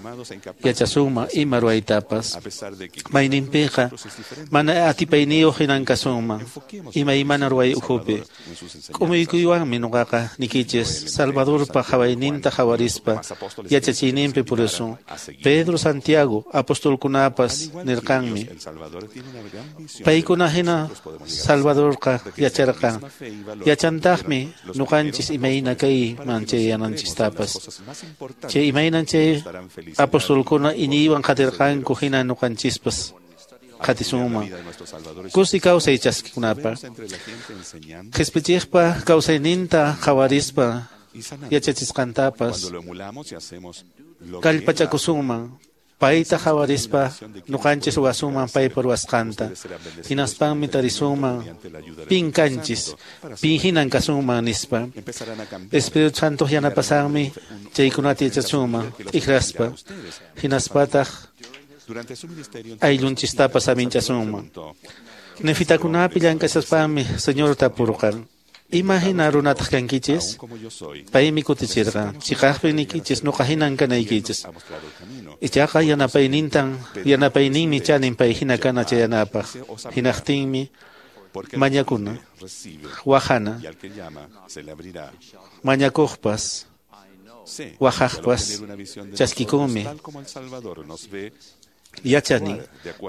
yachasunman ima ruwaytapas. Mayninpiqa mana atipayniyuq hinan kasunman imaymana ruway ukhupi. K'umuykuywanmi nuqaqa nikichis Salvadorpa qhawayninta qhawarispa yachachiyninpi purisun. Pedro, Santiago, apostolkunapas nirqanmi, paykuna hina Salvadorqa yacharqan, yachantaqmi nuqanchis imayna kayman chayananchistapas. Chay imaynan chay apostolkuna iñiywan qatirqanku hina nuqanchispas qatisunman. Kusi kawsay chaskikunapaq, qhispichiqpa kawsayninta qhawarispa yachachisqantapas kallpachakusunman, payta qhawarispa nuqanchis ruwasunman paypa ruwasqanta. Hinaspanmi tarisunman pin kanchis, pin hinan kasunman nispa. Espíritu Santo yanapasanmi chaykunata yachasunman t'ikraspa, hinaspataq ayllunchistapas aminchasunman. Nefitakunapi llank'ashaspanmi Señor tapurqan, ima hina runataq kankichis? Paymi kutichirqan, chiqaqpi nikichis nuqa hinan kanaykichis. Ichaqa yanapayninmi chanin pay hina kana chayanapaq. Hinaqtinmi mañakuna, waqana, mañakuqpas, waqaqpas chaskikunmi. Yachani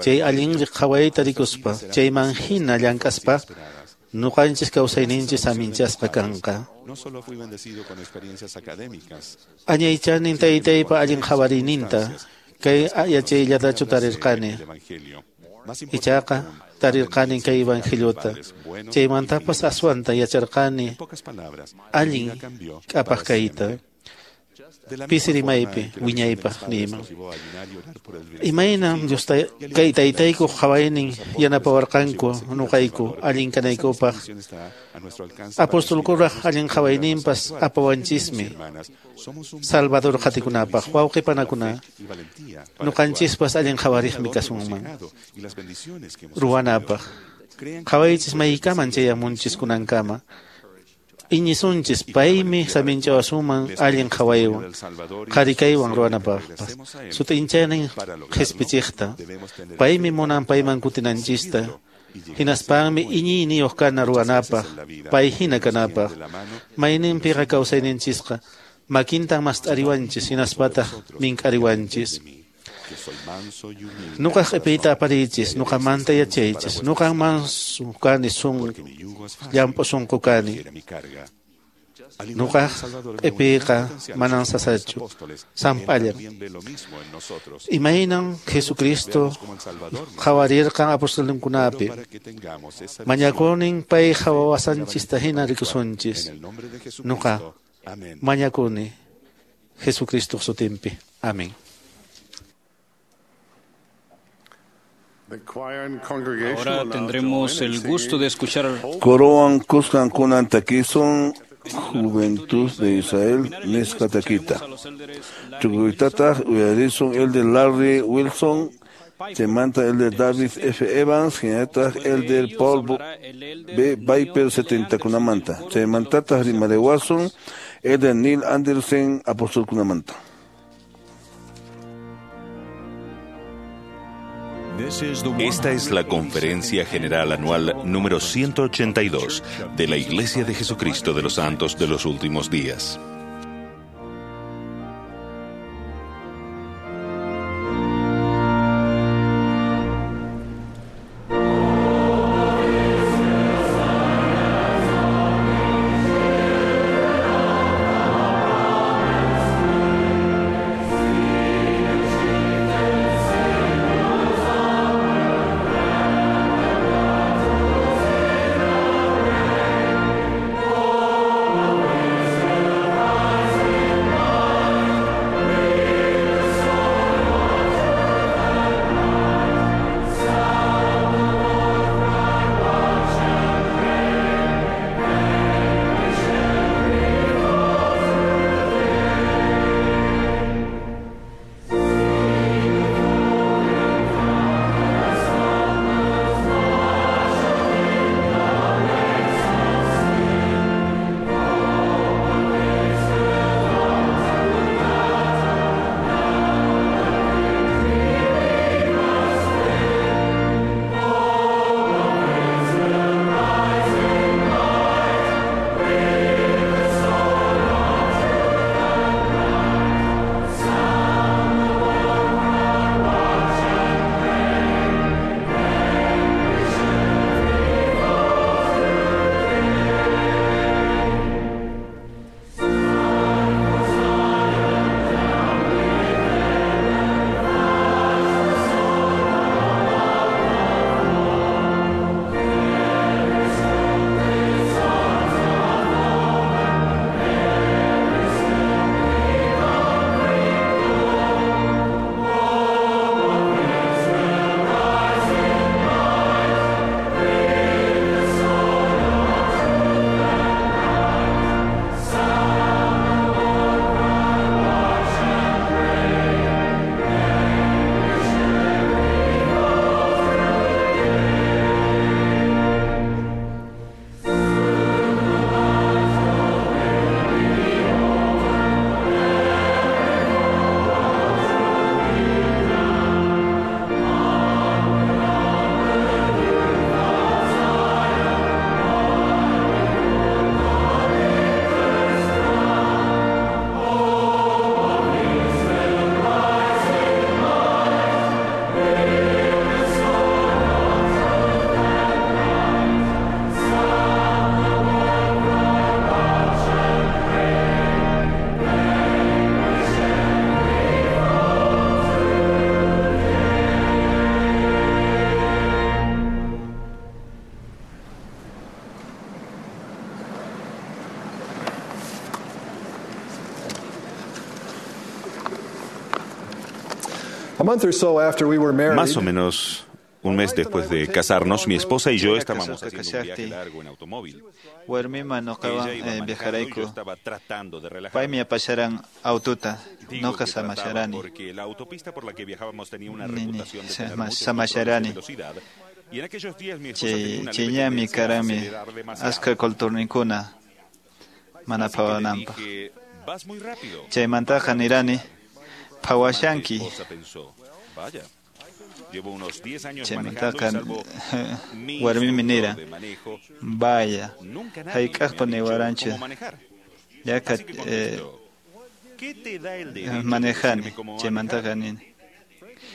chay allin qhawayta rikuspa chayman hina llank'aspa nuqanchis kawsayninchis saminchasqa kanqa. Añaychanin taytaypa allin qhawariyninta kay yachayllatachu tarirqani. Ichaqa tarirqani kay evangeliota. Chaymantapas aswanta yacharqani allin k'apaq kayta. Pisi rimaypi wiñaypaq niyman. Imaynam Dios kay taytaykuq qhawaynin yanapawarqanku nuqayku allin kanaykupaq. Apostolkuraq allin qhawayninpas apawanchismi Salvador qhatikunapaq. Wawqi panakuna nuqanchispas allin qhawariqmi kasunman ruwanapaq. Qhawaychis maykaman chayamunchis kunankama. Iñisunchis paymi saminchawasuman allin qhawaywan qharikaywan ruwanapaqpas. Sut'inchanin qhispichiqta paymi munan payman kutinanchista. Hinaspanmi iñiyniyuq kana ruwanapaq pay hina kanapaq. Mayninpiqa kawsayninchisqa makintan mast'ariwanchis hinaspataq mink'ariwanchis. Nuqaq q'ipiyta apariychis, nuqamanta yachaychis, nuqan mansu kani llamp'u sunqu kani. Nuqaq q'ipiyqa manan sasachu, samp'allan. Imaynan Jesucristo qhawarirqan apostolninkunapi. Mañakunin pay qhawawasanchista hina rikusunchis. Nuqa mañakuni Jesucristo sutinpi. Amén. Ahora tendremos el gusto de escuchar Coroan kuskan kunan takisun Juventud de Israel nisqa takita. Tukuytataq uyarisun el de Larry Wilson, chaymanta el de David F. Evans, hinallataq el de Paul B. Viper 70 kunamanta. Chaymantataq rimariwasun el de Neil Anderson apostolkunamanta. Esta es la Conferencia General Anual número 182 de la Iglesia de Jesucristo de los Santos de los Últimos Días. Más o menos un mes después de casarnos, mi esposa y yo estábamos haciendo un viaje largo en automóvil. Ella iba manejando y yo estaba tratando de relajarme. Digo que trataba porque la autopista por la que viajábamos tenía una reputación de tener muchos controles de velocidad. Y en aquellos días mi esposa tenía una leve tendencia a acelerar demasiado. Así que le dije, vas muy rápido. Mi esposa pensó, vaya, llevo unos 10 años manejando y salvo mi instructor de manejo, nunca nadie me ha dicho cómo manejar. Así que contestó, ¿qué te da el derecho de decirme cómo manejar?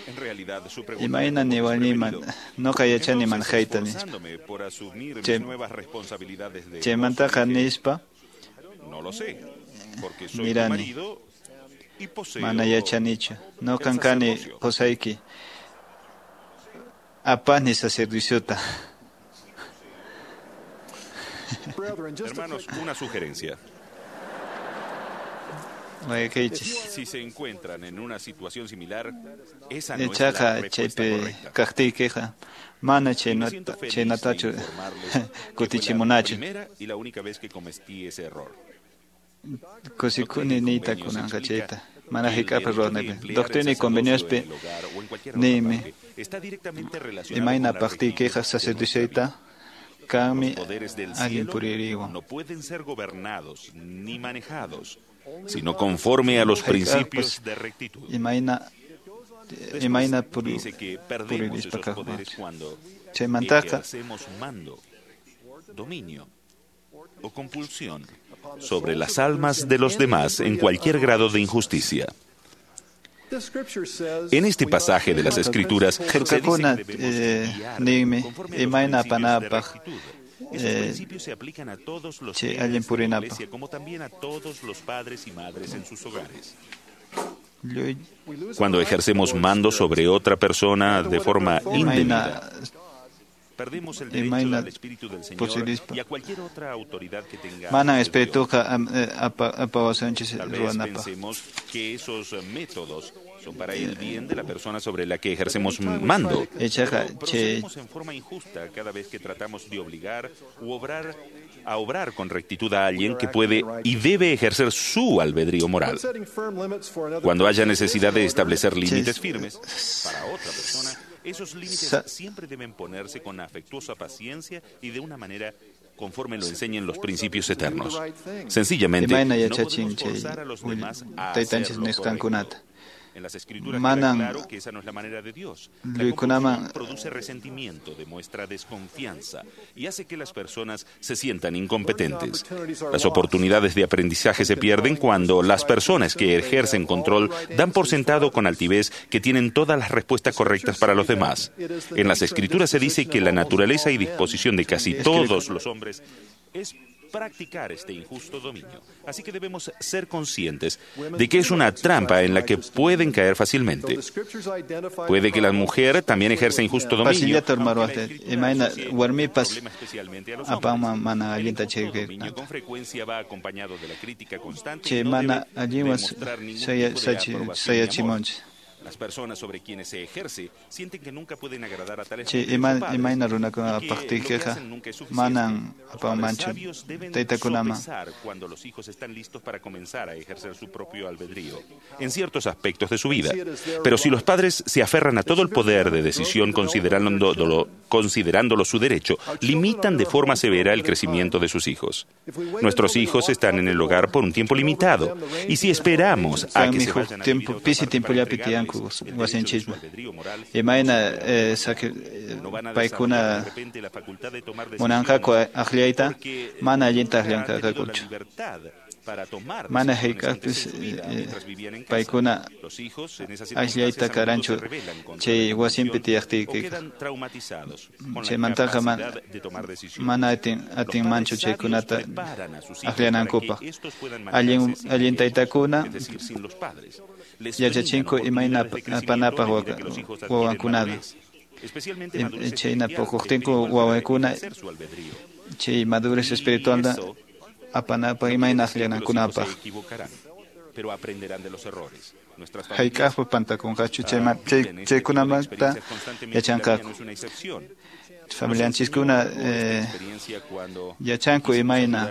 En realidad, su pregunta me tuvo desprevenido. Entonces, esforzándome por asumir mis nuevas responsabilidades de esposo, dije, no lo sé, porque soy tu marido y poseo el sacerdocio. Hermanos, una sugerencia. Si se encuentran en una situación similar, esa no es la respuesta correcta. Y me siento feliz de informarles que fue la primera y la única vez que cometí ese error. Doctrina y Convenios explica que el derecho de emplear el sacerdocio en el hogar o en cualquier otra parte está directamente relacionado con la rectitud de nuestra vida. Los poderes del cielo no pueden ser gobernados ni manejados, sino conforme a los principios de rectitud. Después dice que perdemos esos poderes cuando ejercemos mando, dominio o compulsión sobre las almas de los demás en cualquier grado de injusticia. En este pasaje de las Escrituras se dice que debemos guiar conforme a los principios de rectitud. Esos principios se aplican a todos los líderes de la Iglesia, como también a todos los padres y madres en sus hogares. Cuando ejercemos mando sobre otra persona de forma indebida, perdemos el derecho al Espíritu del Señor y a cualquier otra autoridad que tenga ante Dios. Tal vez pensemos que esos métodos son para el bien de la persona sobre la que ejercemos mando, pero procedemos en forma injusta cada vez que tratamos de obligar u obrar a obrar con rectitud a alguien que puede y debe ejercer su albedrío moral. Cuando haya necesidad de establecer límites firmes para otra persona, esos límites siempre deben ponerse con afectuosa paciencia y de una manera conforme lo enseñen los principios eternos. Sencillamente, no podemos forzar a los demás a hacer lo correcto. En las Escrituras queda claro que esa no es la manera de Dios. La compulsión produce resentimiento, demuestra desconfianza y hace que las personas se sientan incompetentes. Las oportunidades de aprendizaje se pierden cuando las personas que ejercen control dan por sentado con altivez que tienen todas las respuestas correctas para los demás. En las Escrituras se dice que la naturaleza y disposición de casi todos los hombres es practicar este injusto dominio. Así que debemos ser conscientes de que es una trampa en la que pueden caer fácilmente. Puede que la mujer también ejerza injusto dominio, aunque la Escritura asocie el problema especialmente a los hombres. El injusto dominio con frecuencia va acompañado de la crítica constante y no debe demostrar ningún tipo de aprobación ni amor. Las personas sobre quienes se ejerce sienten que nunca pueden agradar a tales padres y que lo que hacen nunca es suficiente. Los padres sabios deben sopesar cuando los hijos están listos para comenzar a ejercer su propio albedrío en ciertos aspectos de su vida. Pero si los padres se aferran a todo el poder de decisión considerándolo su derecho, limitan de forma severa el crecimiento de sus hijos. Nuestros hijos están en el hogar por un tiempo limitado, y si esperamos a que se vayan a vivir a otra parte para entregarles wasinchikman. Imayna paykuna munanqaku aqllayta mana allinta aqllanqakuchu. Mana hayk'aqpis paykuna ayllayta karanchu chay wasinpi tiyaqtiykiqa. Chaymantaqa mana atinmanchu chaykunata aqllanankupaq. Allin taytakuna yachachinku imayna apanapaq wawankunata. Chayna puquqtinku wawankuna chay madurez espiritualta apanapaq imayna aqllanankunapaq. Hayk'aqpas pantakunqachu chaykunamanta yachanqaku. Familianchiskuna yachanku imayna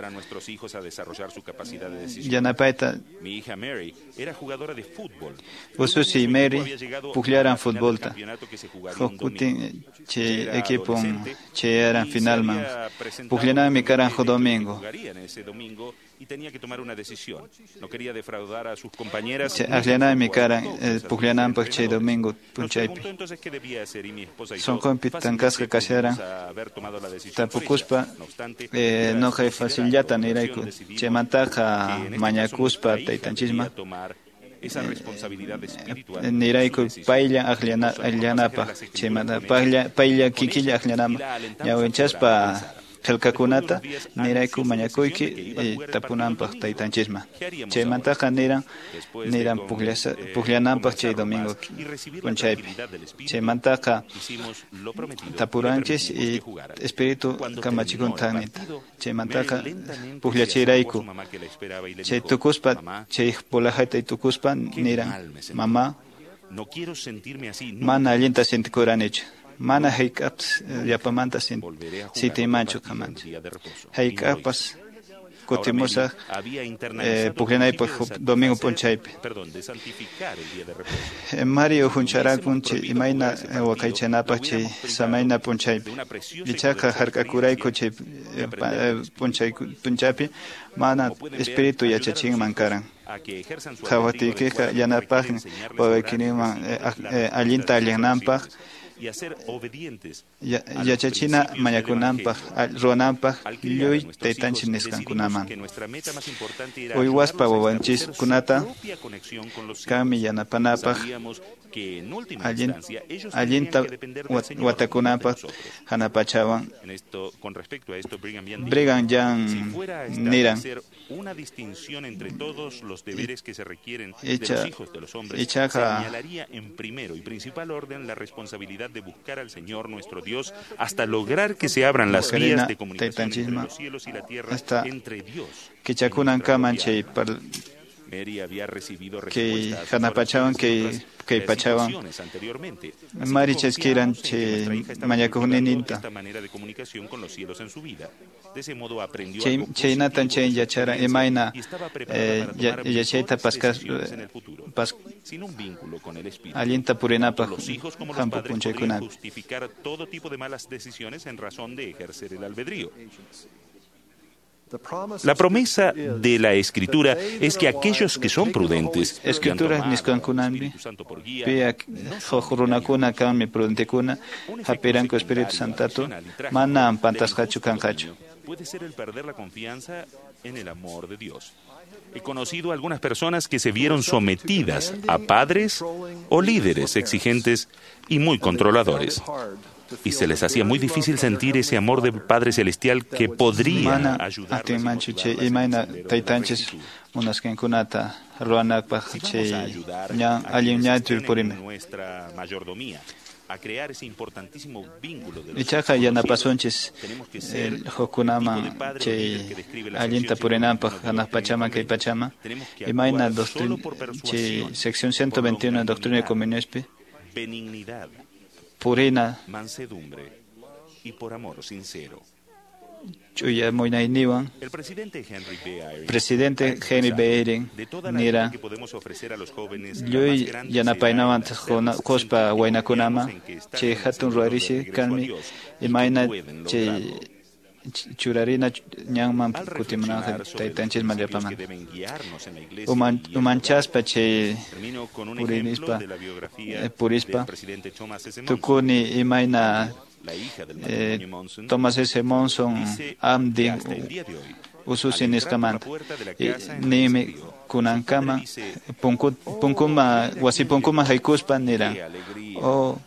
yanapayta. Ususi Mary pukllaran futbolta. Huk kutin chay equipon chayaran finalman. Pukllananmi karan huk domingo. Akllananmi karan pukllananpaq chay domingo punchaypi. Sunqunpi tankasqa kasharan tapukuspa noqay facillata nirayku chaymantaqa mañakuspa taytanchisman nirayku paylla akllanapaq chaymanta paylla kikilla akllanapaq ñawinchaspa qillqakunata nirayku mañakuyki tapunanpaq taytanchisman chaymantaqa niran pukllananpaq chay domingo p'unchaypi chaymantaqa tapuranchis y espíritu kamachikuntan nita chaymantaqa pukllachirayku chay tukuspa chay bolajayta tukuspa niran mamá mana allinta sintikuranichu mana hayk'appas yapamanta sitiymanchu kamanchu hayk'appas kutimusaq pukllanaypaq domingo p'unchaypi. Mario huncharakun chay imayna waqaychanapaq chay samayna p'unchaypi ichaqa hark'akurayku chay p'unchaypi mana espíritu yachachinman karan. Qhawatiykiqa yanapaqmi wawaykiniman allinta allinanpaq yachachina mañakunanpaq ruwananpaq lluy taytanchik nisqankunaman. Uywaspa wawanchiskunata kanmi yanapanapaq allinta watakunanpaq hanapachawan. Brigham Young niran ichaqa de buscar al Señor nuestro Dios hasta lograr que se abran las vías de comunicación entre los cielos y la tierra, entre Dios. Mary había recibido respuestas kay hanapachawan kay pachawan Mary chaskiran chay mañakuqnininta chaynatan chay yacharan imayna yachayta allinta purinapaq hampu p'unchaykunapi. La promesa de la Escritura es que aquellos que son prudentes, Escrituras nisqankunami piya huk runakuna kanmi prudentekuna hapiranku Espíritu Santato manam pantasqachu kanqachu. Puede ser el perder la confianza en el amor de Dios. He conocido algunas personas que se vieron sometidas a padres o líderes exigentes y muy controladores. Y se les hacía muy difícil sentir ese amor del Padre Celestial que podría ayudarles y motivarles nuestra mayordomía a crear ese importantísimo vínculo de los ichaqa yanapasunchis hukkunaman chay allinta purinanpaq hanaq pachaman kay pachaman imayna doctrina chay sección 121 doctrina de conveniospi benignidad, purina mansedumbre y por amor sincero. Chuya munayniwan El presidente Henry B. Eyring presidente Henry B. Eyring de toda la nira ayuda que podemos ofrecer a los jóvenes, la lluy más grande será yanapaynawan el hacerles quspa sentir que waynakunaman confiamos en que están chay en el hatun sendero de ruwarisi regreso a kanmi Dios y que imayna pueden chay lograrlo. churarina ñanman Al kutimunanqa reflexionar sobre los taytanchisman principios llapaman que deben guiarnos en la iglesia y el hogar, umanchaspa chay termino con un ejemplo purinispa de la biografía purispa del presidente Thomas S. Monson. tukuni imayna La hija del matrimonio Monson Thomas S. Monson dice que amdi hasta el día de hoy, ususi al entrar por la nisqamanta puerta de la casa en la que se nimi crió, su padre kunankama dice, punkuma wasi punkuma haykuspa niran "Qué alegría". o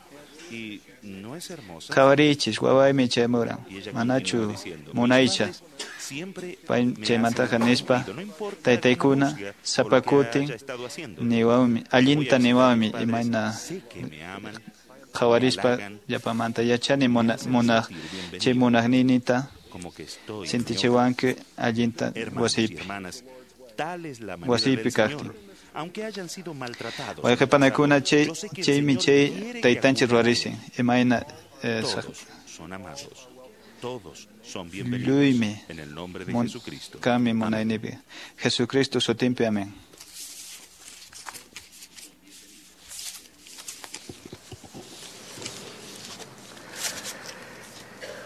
Y no es hermosa. qhawarichis wawaymi chaymuran Y ella manachu continúa diciendo, "Mis munaycha padres siempre pay me hacen chaymantaqa el nispa cumplido, no importa cómo taytaykuna juzga o lo que sapakutin haya estado haciendo. niwawmi Voy a allinta visitar a mis niwawmi padres, imayna sé que me aman, me qhawarispa halagan, llapamanta yachani me hacen munaq sentir chay bienvenido, munaqninita como que estoy en mi hogar. sintichiwanki allinta Hermanos y wasiypi hermanas, Wasiypi kaqtin. Wayqipanakuna chaymi chay taytanchik ruwarisin imayna lluymi kami munaynipi. Jesucristo sutinpi, amén.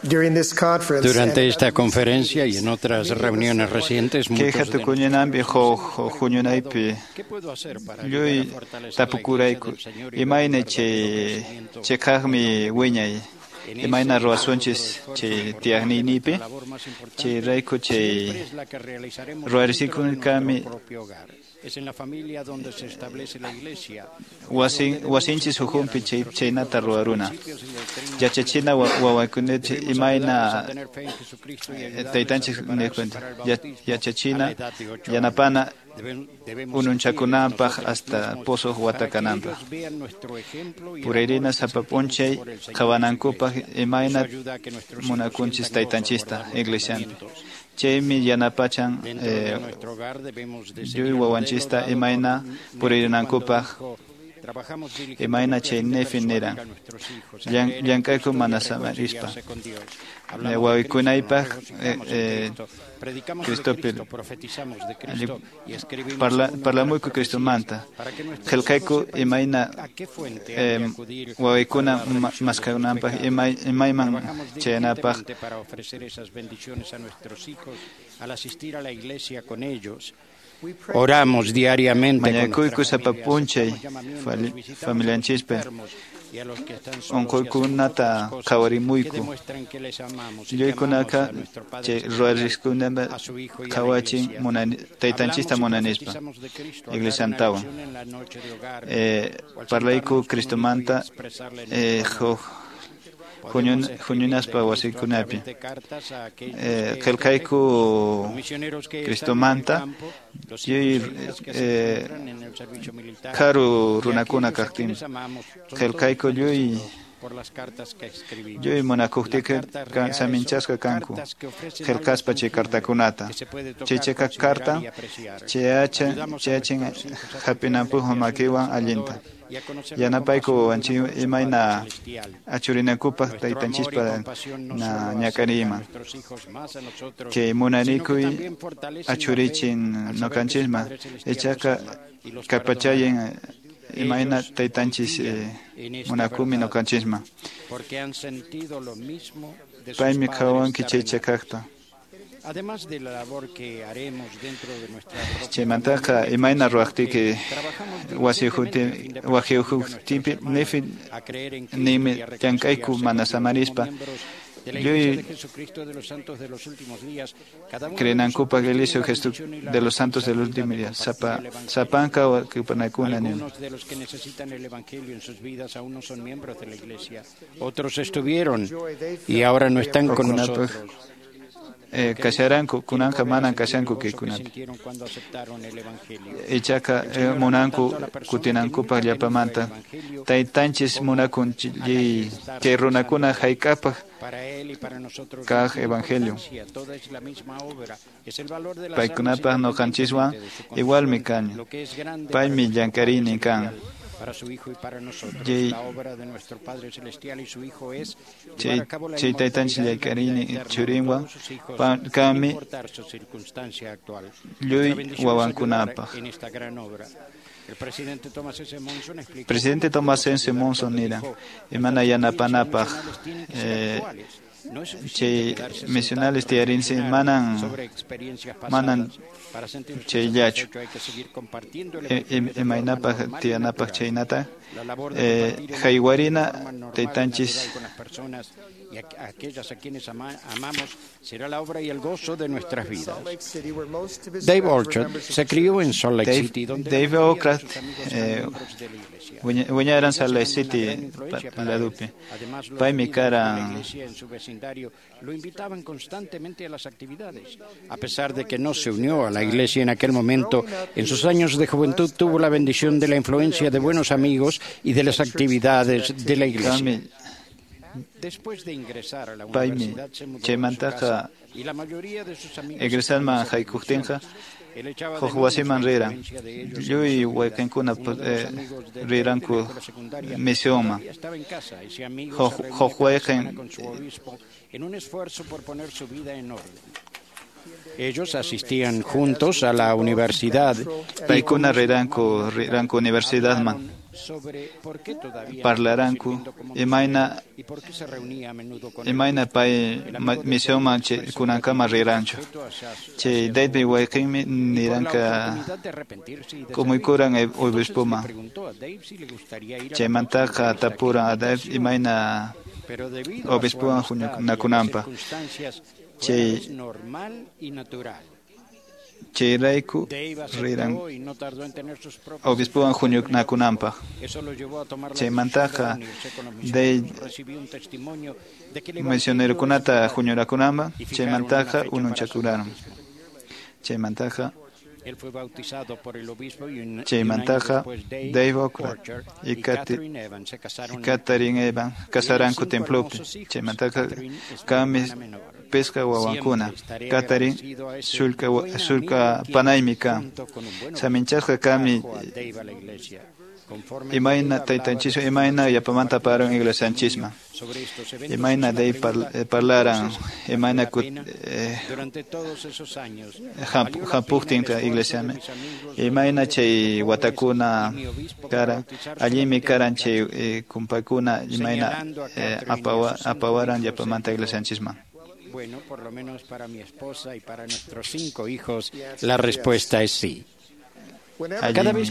Durante esta conferencia y en otras reuniones recientes, Kay muchos de hatukuñanampi huk huñunaypi lluy tapukurayku imayna chay chiqaqmi wiñay imayna ruwasunchis chay tiyaqniynipi chayrayku chay ruwarisikun kami wasinchis ukhunpi chaynata ruwaruna yachachina wawakunata imayna taytanchik niqkunta yachachina yanapana ununchakunapaq hasta posuq wata kananpaq purayrina sapa p'unchay qhawanankupaq imayna munakunchis taytanchista iglesianpi chaymi yanapachan lluy wawanchista imayna puririnankupaq imayna chay Nefi niran llank'ayku mana samarispa wawikunaypaq Cristopi parlamuyku Cristomanta qillqayku imayna wawaykuna maskananpaq imayman chayanapaq. Oramos diariamente. Mañakuyku sapa p'unchay familianchispi unquykunata qhawarimuyku lluykunaka chay ruwariskunata qhawachin taytanchista munanispa iglesiantawan parlayku Cristomanta huk huñunaspa wasikunapi qillqayku Cristomanta lluy karu runakuna kaqtin qillqayku lluy munakuqtiyki saminchasqa kanku qillqaspa chay cartakunata chay chiqaq carta chayachin hap'inanpaq makiwan allinta yanapayku wawanchik imayna achurinankupaq taytanchispa ñak'ariyman chay munanikuy achurichin ñuqanchisman ichaqa kallpachayin imayna taytanchis munakumi ñuqanchisman paymi qhawanki chay chiqaqta. Chaymantaqa imayna ruwaqtiyki wasi ukhunpi Nefi ninmi llank'ayku mana samarispa lluy creenankupaq Iglesia de los Santos del Último Día sapanka wakipanakuna nin. Otros estuvieron y ahora no están con nosotros. Kasharanku kunanqa manan kashanku kaykunapi ichaqa munanku kutinankupaq llapamanta taytanchis munakun chay runakuna hayk'apaq kaq evangelio paykunapaq ñuqanchiswan igualmi kan paymi llank'ariynin kan. Para su Hijo y para nosotros. La obra de nuestro Padre Celestial y su Hijo es llevar a cabo la inmortalidad y la vida eterna de todos sus hijos, sin importar su circunstancia actual. Nuestra bendición es ayudar en esta gran obra. El presidente Thomas S. Monson explicó Presidente Thomas S. Monson nira imana yanapanapaq chay misionales tiyarinsi manan manan chayllachu imaynapaq tiyanapaq chaynata haywarina taytanchis y aquellas a quienes amamos será la obra y el gozo de nuestras vidas. Dave Orchard se crió en Salt Lake City, donde Dave Orchard wiñaran Salt Lake City ladupi. Paymi karan la iglesia en su vecindario lo invitaban constantemente a las actividades. A pesar de que no se unió a la iglesia en aquel momento, en sus años de juventud tuvo la bendición de la influencia de buenos amigos y de las actividades de la iglesia. Paymi chaymantaqa egresanman haykuqtinqa huk wasiman riran. Lluy wayqinkuna riranku misionman. Huk wayqin Ellos asistían juntos a la universidad. Paykuna riranku universidadman. Parlaranku imayna pay misionman kunankama riranchu. Chay David wayqinmi niranka kumuykuran obispoman. Chaymantaqa tapuran a Dave imayna obispowan huñunakunanpaq. Chayrayku riran obispowan huñunakunanpaq. Chaymantaqa Dave misionerokunata huñurakunanpaq, chaymantaqa ununchakuraran. Chaymantaqa Dave Okra y Katherine Evans kasaranku templopi. Chaymantaqa kanmi pisqa wawankuna. Katherine sulka panaymi kan. Saminchasqa kanmi imayna taytanchiswan imayna yapamanta aparan iglesianchisman. Imayna Dave parlaran imayna hampuqtin iglesiaman. Imayna chay watakuna karan allinmi karan chay kumpakuna imayna apawaran yapamanta iglesianchisman. Bueno, por lo menos para mi esposa y para nuestros 5 hijos, la respuesta es sí. Allinmi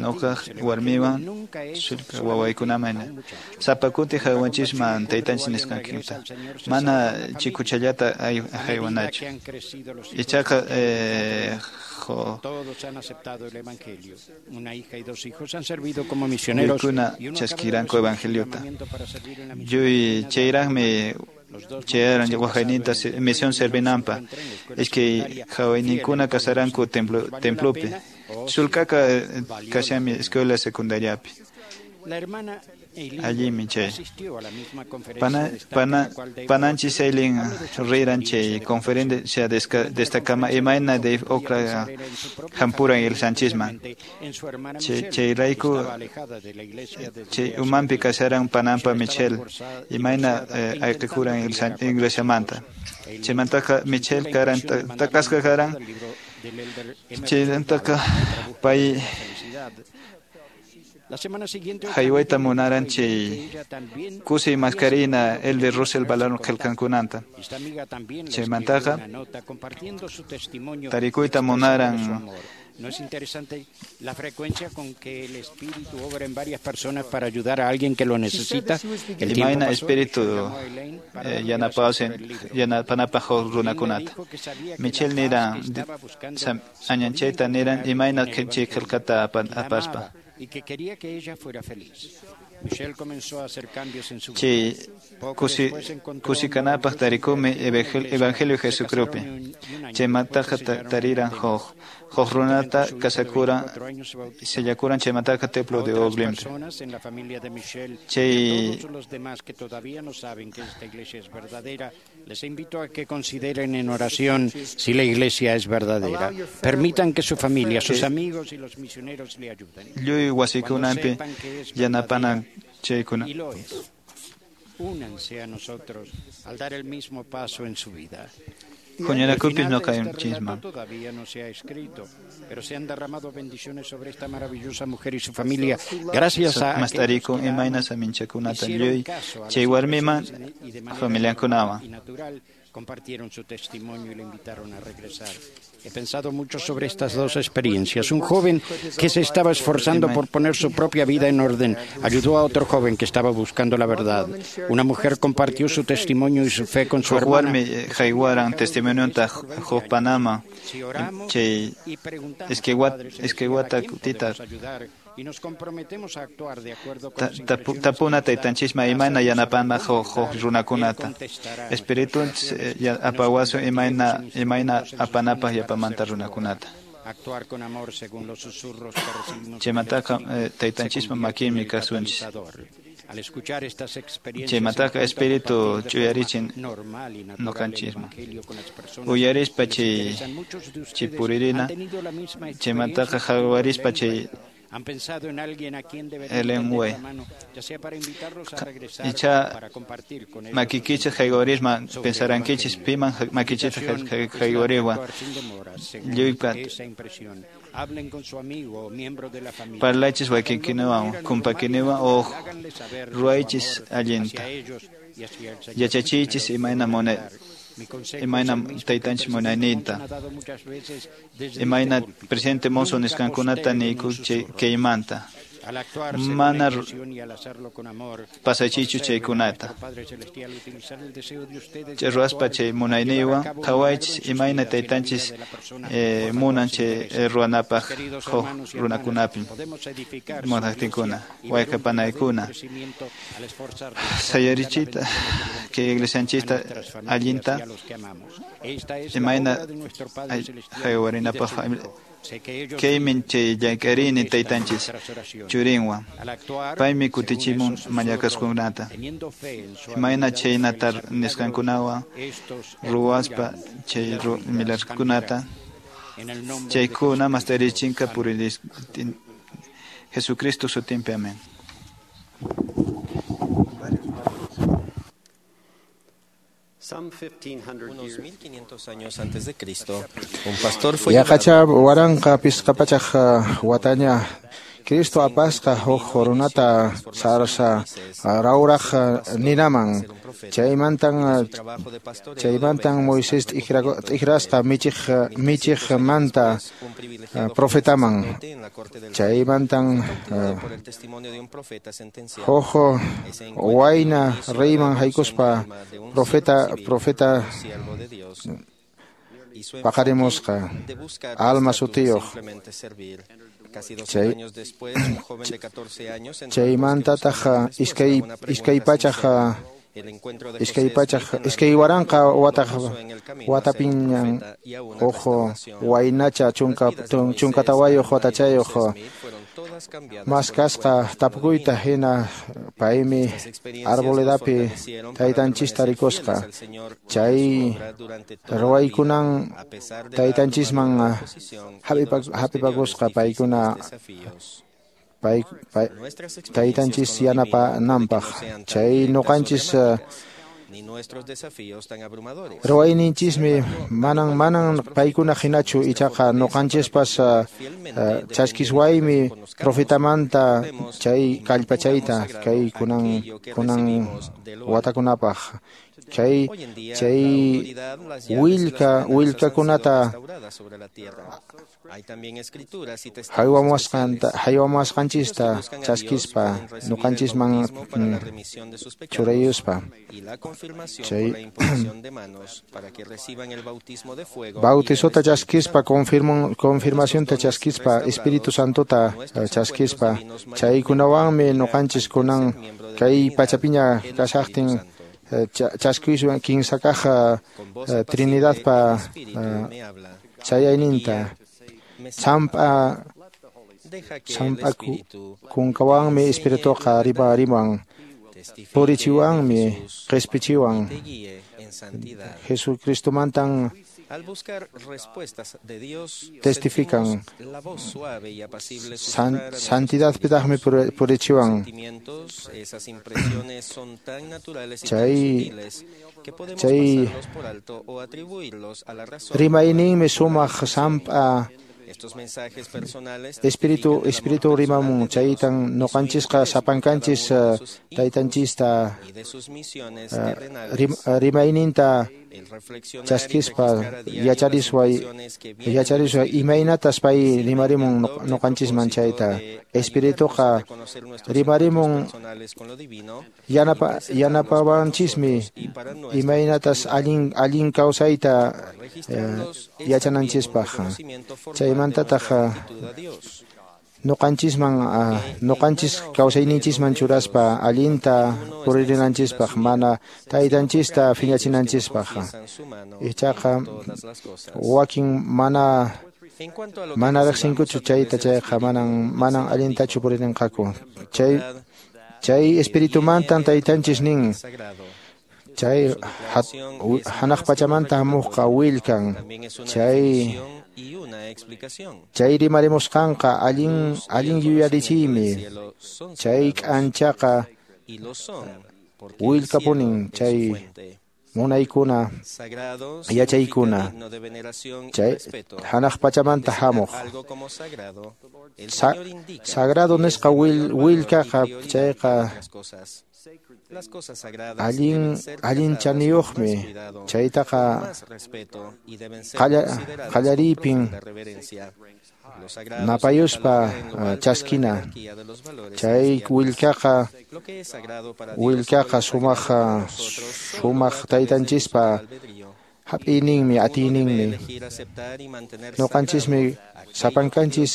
nuqaq warmiwan sulka wawaykunaman sapa kuti haywanchisman taytanchis nisqankuta mana chikuchallata haywanachu. Ichaqa Todos han aceptado el evangelio. Una hija y 2 hijos han servido como misioneros. Paykuna chaskiranku evangeliota. Lluy chayraqmi chayaran waqayninta misión servinanpaq. Iskay hawayninkuna kasaranku templopi. Sulkaka kashanmi escuela secundariapi. Allinmi chay. Pananchis Eileen riran chay conferencia destacama imayna Dave Okra hampuran iglesianchisman. Chayrayku chay umanpi kasaran panampa Michelle imayna ayqikuran iglesiamanta. Chaymantaqa Michelle karan takasqa karan chaymantaqa pay haywayta munaran chay kusiy maskarina Elder Russell Ballard qillqankunanta. Chaymantaqa tarikuyta munaran. ¿No es interesante la frecuencia con que el Espíritu obra en varias personas para ayudar a alguien que lo necesita? El imayna Espíritu yanapanapaq runakunata. Michelle niran añanchayta niran imayna chay qillqata apaspa. Y que quería que ella fuera feliz. Michelle comenzó a hacer cambios en su vida. Chay kusikanapaq tarikumi evangelio Jesucristopi. Chaymantaqa tariran huk runata kasakuran sellakuran chaymantaqa templo de Oberlin. En la familia de Michelle, Chay todos los demás que todavía no saben que esta iglesia es verdadera, les invito a que consideren en oración si la iglesia es verdadera. Permitan que su familia, sus amigos y los misioneros le ayuden. Lluy wasikunanpi yanapanan chaykuna. Y lo es. Únanse a nosotros al dar el mismo paso en su vida. Huñunakupis nuqanchisman. Todavía no se ha escrito, pero se han derramado bendiciones sobre esta maravillosa mujer y su familia. Gracias a Mastariku imayna saminchakunata lluy chay warmiman familiankunawan. Compartieron su testimonio y le invitaron a regresar. He pensado mucho sobre estas dos experiencias. Un joven que se estaba esforzando por poner su propia vida en orden ayudó a otro joven que estaba buscando la verdad. Una mujer compartió su testimonio y su fe con su hermana. Warmi haywaran testimonionta huk panama chay iskay kutita y nos comprometemos a actuar de acuerdo con tapuna taytanchisman imayna yanapanman huk runakunata. Espíritu apawasun imayna apanapaq yapamanta runakunata. Actuar con amor según los susurros que recibimos. Chaymantaqa taytanchispa makinmi kasunchis. Chaymantaqa Espíritu ch'uyarichin noqanchisman. Uyarispa chay puririna, chaymantaqa qhawarispa chay Ellen White. Icha makikichis haywarisman pensarankichis piman makichis haywariwan lluypa parlaychis wakinkinawan kumpakiniwan o ruwaychis allinta yachachiychis imayna munay imayna taytanchis munayninta imayna presidente Monson nisqankunata niyku kaymanta mana pasachiychu chaykunata chay ruwaspa chay munayniywan qhawaychis imayna taytanchis munan chay ruwanapaq huk runakunapi munaqtinkuna wayqipanaykuna sayarichiyta kay iglesianchista allinta imayna haywarinapaq kaymin chay llank'arini taytanchis churinwan paymi kutichimun mañakasqankunata imayna chaynata nisqankunawan ruwaspa chay milagrukunata chaykuna mastarichinqa puriris Jesucristo sutinpi amén. Unos 1500 años antes de Cristo, un pastor fue Yaqacha waranqa pisqa pachaq wataña Cristo apasqa huk runata sarsa rawraq ninaman chaymantan Moisés t'ikrasqa michiqmanta profetaman chaymantan huk wayna reyman haykuspa profeta paqarimusqa alma sutiyuq chaymantataq iskay waranqa watapiñan huk waynacha 14 watachayuq maskasqa tapukuyta hina paymi arboledapi taytanchista rikusqa chay ruwaykunan taytanchisman hap'ipakusqa paykuna taytanchis yanapananpaq chay nuqanchis ruwayninchismi manan paykuna hinachu ichaqa nuqanchispas chaskiswaymi profetamanta chay kallpachayta kay kunan watakunapaq chay willkakunata haywamuwasqanchista chaskispa nuqanchisman churayuspa chay bautizota chaskispa confirmacionta chaskispa Espíritu Santota chaskispa chaykunawanmi nuqanchis kunan kay pachapiña kashaqtin chaskiswan kinsa kaq Trinidadpa chayayninta samp'a kunkawanmi Espirituqa riman purichiwanmi qispichiwan Jesucristomantan testifican santidadpitaqmi purichiwan chay rimayninmi sumaq samp'a Espíritu rimamun chaytan nuqanchisqa sapankanchis taytanchista rimayninta chaskispa yacharisway imaynatas pay rimarimun nuqanchisman chayta Espirituqa rimarimun yanapawanchismi imaynatas allin kawsayta yachananchispaq chaymantataq nuqanchis kawsayninchisman churaspa allinta puririnanchispaq mana taytanchista phiñachinanchispaq ichaqa wakin mana riqsinkuchu chayta chayqa manan allintachu puririnqaku chay Chay espiritumantan taytanchis nin. Chay hanaq pachamanta hamuqqa willkan. Chay rimarimusqanqa allin yuyarichiymi. Chay k'anchaqa willkapunin chay munaykuna yachaykuna. Chay hanaq pachamanta hamuq. Sagrado nisqa willkaqa chayqa allin chaniyuqmi. Chaytaqa qallariypin napayuspa chaskina. Chay willkaqa sumaq taytanchispa hap'iyninmi, atiyninmi. Ñuqanchismi sapankanchis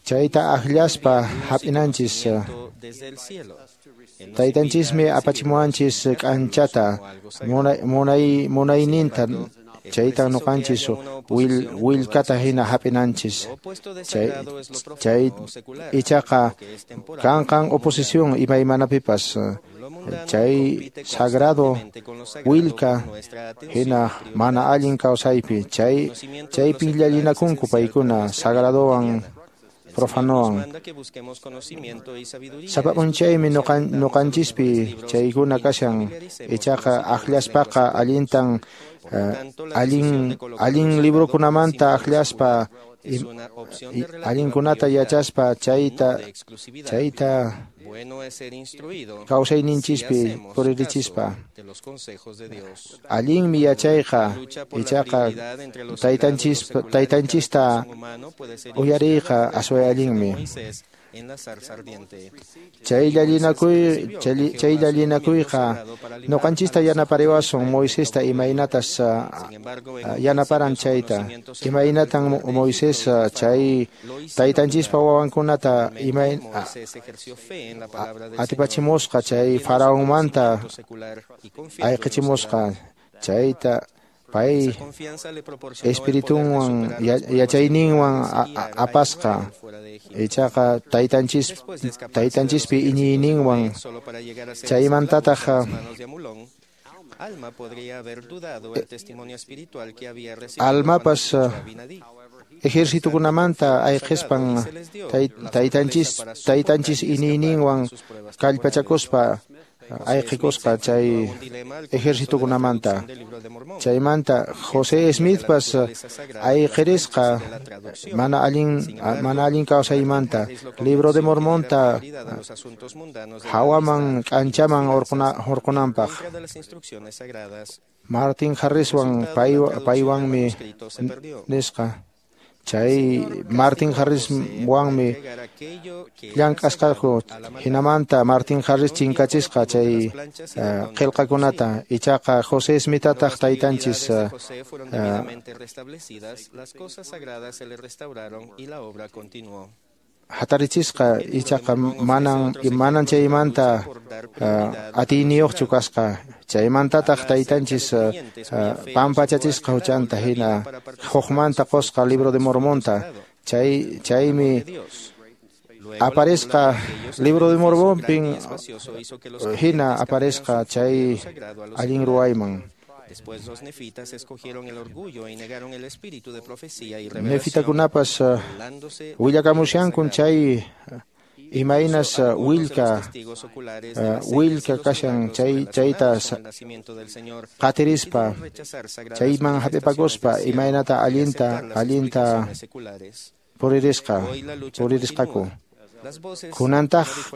chayta akllaspa hap'inanchis. Taytanchismi apachimuwanchis k'anchata munayninta. Chayta ñuqanchis willkata hina hap'inanchis. Chay ichaqa kanqan oposición imaymanapipas. Chay sagrado willka hina mana allin kawsaypi. Chaypi llallinakunku paykuna sagradowan profanowan. Sapa p'unchaymi ñuqanchispi chaykuna kashan. Ichaqa akllaspaqa allintan allin librokunamanta akllaspa allinkunata yachaspa chayta kawsayninchispi puririchispa. Allinmi yachayqa ichaqa taytanchista uyariyqa asway allinmi. Chay llallinakuyqa ñuqanchista yanapariwasun Moisesta imaynatas yanaparan chayta. Imaynatan Moisés chay taytanchispa wawankunata atipachimusqa chay faraonmanta ayqichimusqa chayta pay espiritunwan yachayninwan apasqa. Ichaqa taytanchispi iñiyninwan chaymantataq Almapas ejercitukunamanta ayqispan taytanchis iñiyninwan kallpachakuspa ayqikusqa chay ejercitukunamanta. Chaymanta José Smithpas ayqirisqa mana allin kawsaymanta. Libro de Mormonta hawaman k'anchaman hurqunanpaq. Martin Harriswan paywanmi nisqa. Chay Martin Harriswanmi llank'asqaku. Hinamanta Martin Harris chinkachisqa chay qillqakunata. Ichaqa José Smithataq taytanchis hatarichisqa. Ichaqa manan chaymanta atiyniyuqchu kasqa. Chaymantataq taytanchis pampachachisqa huchanta hina hukmanta qusqa Libro de Mormonta. Chaymi aparesqa Libro de Mormonpin hina aparesqa chay allin ruwayman. Nefitakunapas willakamushankun chay imaynas willka kashan chayta qatirispa chayman hap'ipakuspa imaynata allinta puririsqaku.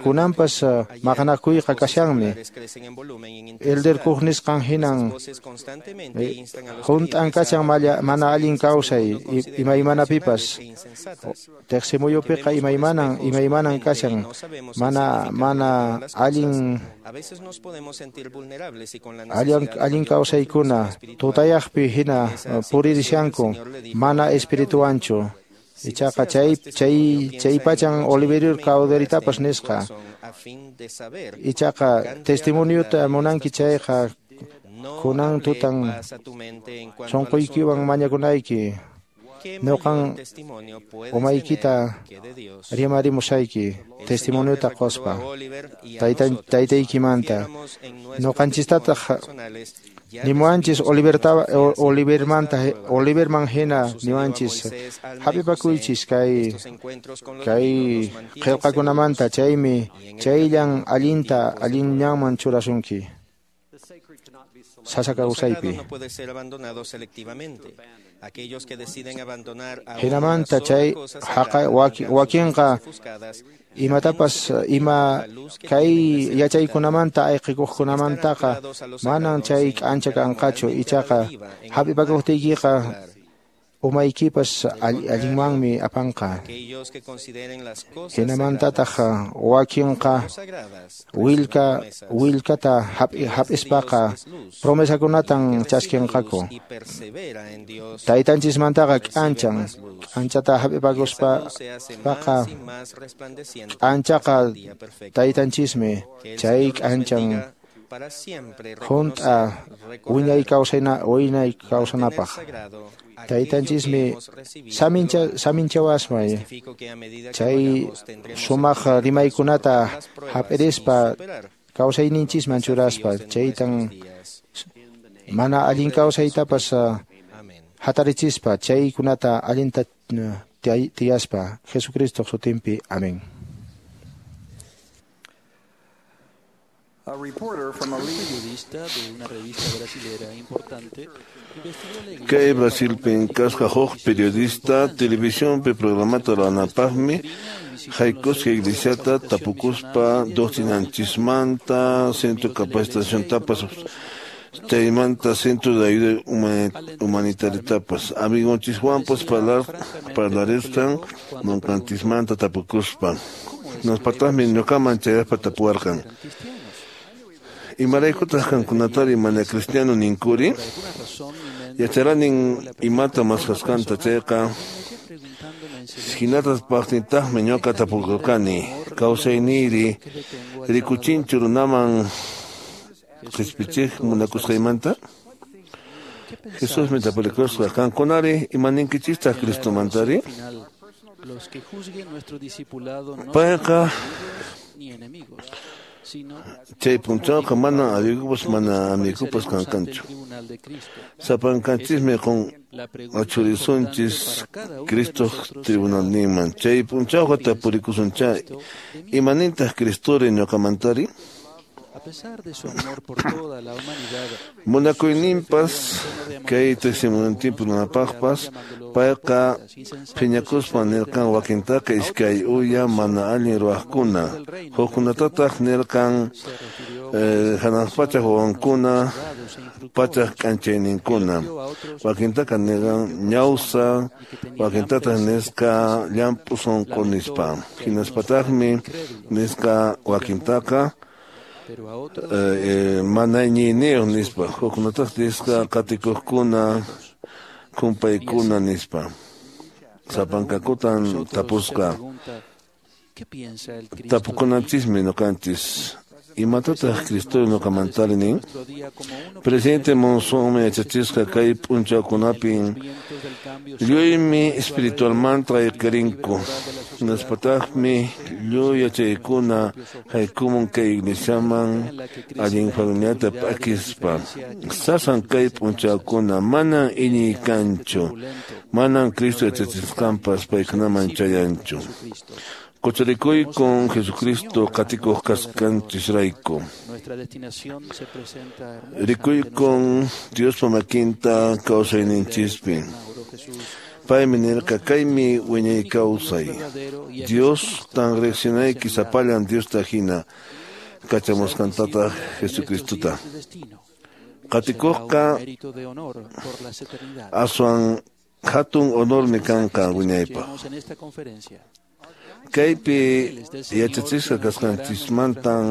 Kunanpas maqanakuyqa kashanmi. Elder Cook nisqan hinan hunt'an kashan mana allin kawsay imaymanapipas. Teqsimuyupiqa imaymanan kashan mana allin kawsaykuna tutayaqpi hina puririshanku mana espirituanchu. Ichaqa chay pachan Oliverio Cowderytapas nisqa. Ichaqa testimoniota munanki chayqa kunan tutan sunquykiwan mañakunayki. Noqan umaykita rimarimusayki testimoniota qospa taytaykimanta noqanchistataq nimuwanchis Oliverman hina niwanchis hap'ipakuychis kay qillqakunamanta chaymi chayllan allinta allin ñanman churasunki sasa kawsaypi. Hinamanta chay haqa wakinqa imatapas ima kay yachaykunamanta ayqikuqkunamantaqa manan chay k'ancha kanqachu ichaqa hap'ipakuqtiykiqa umaykipas allinmanmi apanqa. Hinamantataq wakinqa willkata hap'ispaqa promesakunatan chaskinqaku. Taytanchismantaqa k'anchan k'anchata hap'ipakuspaqa k'anchaqa taytanchismi chay k'anchan hunt'a wiñay kawsanapaq. Taytanchismi saminchawasmay chay sumaq rimaykunata hap'irispa kawsayninchisman churaspa chaytan mana allin kawsaytapas hatarichispa chaykunata allinta tiyaspa Jesucristo sutinpi. Amén. Kay Brasilpi kasqa huk periodista televisionpi programata ruwanapaqmi haykusqa iglesiata tapukuspa doctrinanchismanta centro capacitaciontapas chaymanta centro de ayuda humanitariatapas amigonchiswanpas parlarisqan nunkanchismanta tapukuspa nospataqmi ñuqaman chayaspa tapuwarqan. Imaraykutaq qankunatari mana cristiano ninkuri? Yacharanin imata maskhasqanta chayqa hinatas paqtintaqmi ñuqa tapukurqani kawsayniyri rikuchinchu runaman qispichiq munakusqaymanta? Jesusmi tapurikusqa qankunari imaninkichistaq Cristomantari? Payqa chay punchawqa mana amigupas mana amigupas kankanchu. Sapankanchismi qun achurisunchis Cristoq tribunalninman. Chay punchawqa tapurikusuncha imanintaq Cristori ñuqamantari? Munakuyninpas kay testimoniopi runapaqpas payqa phiñakuspa nirqan wakintaqa iskay uya mana allin ruwaqkuna hukkunatataq nirqan hanaq pachaq wawankuna pachaq k'anchayninkuna wakintaqa nirqan ñawsa wakintataq nisqa llamp'u sunqu nispa hinaspataqmi nisqa wakintaqa mana iñiyniyuq nispa hukkunataq nisqa qatikuqkuna kumpaykuna nispa sapankakutan tapusqa tapukunanchismi ñuqanchis imatataq Cristo ñuqamantari nin? Presidente Monsonmi yachachisqa kay p'unchawkunapin lluymi espiritualmanta ayqirinku hinaspataqmi lluy yachaykuna haykumun kay iglesiaman allin familiata p'akispa sasan kay p'unchawkuna manan iñiy kanchu manan Cristo yachachisqanpas paykunaman chayanchu. Qochurikuykun Jesucristo qatikuq kasqanchisrayku. Rikuykun Diospa makinta kawsayninchispi. Paymi nirqa kaymi wiñay kawsay. Dios tan riqsinayki sapallan Diosta hina kachamusqantataq Jesucristota. Qatikuqqa aswan hatun honormi kanqa wiñaypaq. Kaypi yachachisqa kasqanchismantan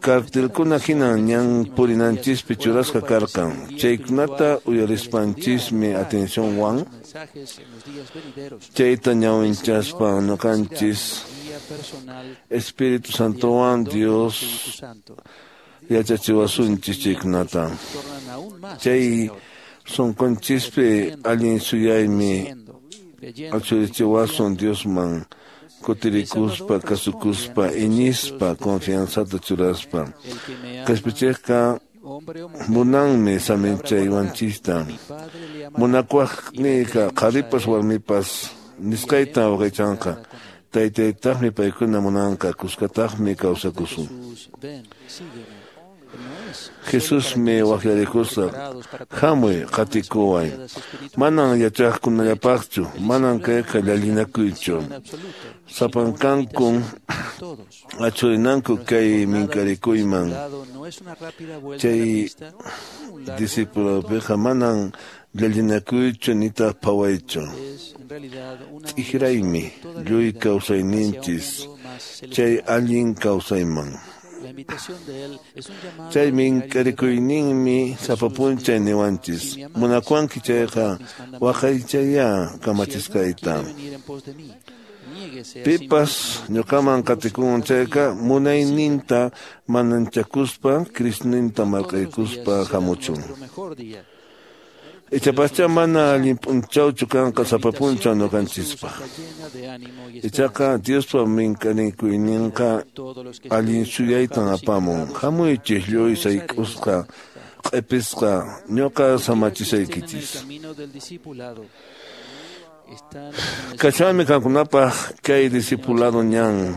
cartelkuna hinan ñan purinanchispi churasqa karqan chaykunata uyarispanchismi atencionwan chayta ñawinchaspa ñuqanchis Espíritu Santowan Dios yachachiwasunchis chaykunata chay Sunqunchikpi allin suyaymi achurichiwasun Diosman kutirikuspa, kasukuspa, iñispa, confianzata churaspa. Qhispichikqa munanmi saminchaywanchikta. Munakuwaqniyqa qharipas warmipas nisqayta waqaychanqa. Taytaytaqmi paykuna munanqa, kuskataqmi kawsakusun. Jesusmi waqyarikusqa, hamuy qatikuway. Manan yachaqkunallapaqchu, manan kayqa llallinakuychu. Sapankankun achurinanku kay minkarikuyman. Chay discipuladopiqa manan llallinakuychu nitaq phawaychu. T'ikraymi lluy kawsayninchis chay allin kawsayman. Chay minkarikuyninmi sapa p'unchay niwanchis. Munakuwanki chayqa waqaychayá kamachisqayta. Pipas ñuqaman qatikun chayqa munayninta mananchakuspa Crisninta marqaykuspa hamuchun. Ichapascha mana allin p'unchawchu kanqa sapa p'unchaw ñuqanchispaq. Ichaqa Diospa minkarikuyninqa allin suyaytan apamun. Hamuychik lluy sayk'usqa q'ipisqa ñuqa samachisaykichis. Kachwanmi qamkunapaq kay discipulado ñan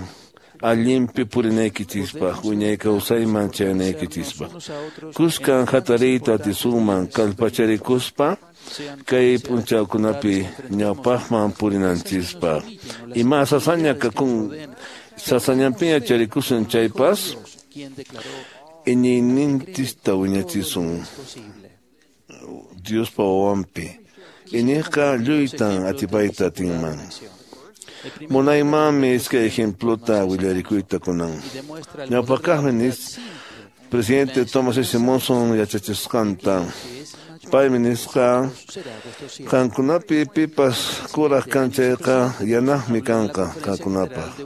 allinpi purinaykichispaq, wiñay kawsayman chayanaykichispaq. Kuskan hatariyta atisunman kallpacharikuspa kay p'unchawkunapi ñawpaqman purinanchispaq. Ima sasaña kakun sasañanpiña charikusun chaypas iñiyninchista wiñachisun Diospa wawanpi. Iñiqqa lluytan atipayta atinman. Munaymanmi iskay ejemplota willarikuyta kunan. Ñawpaqkaqmi nis presidente Thomas S. Monson yachachisqanta. Paymi nisqa qankunapi pipas kuraq kan chayqa yanaqmi kanqa qankunapaq.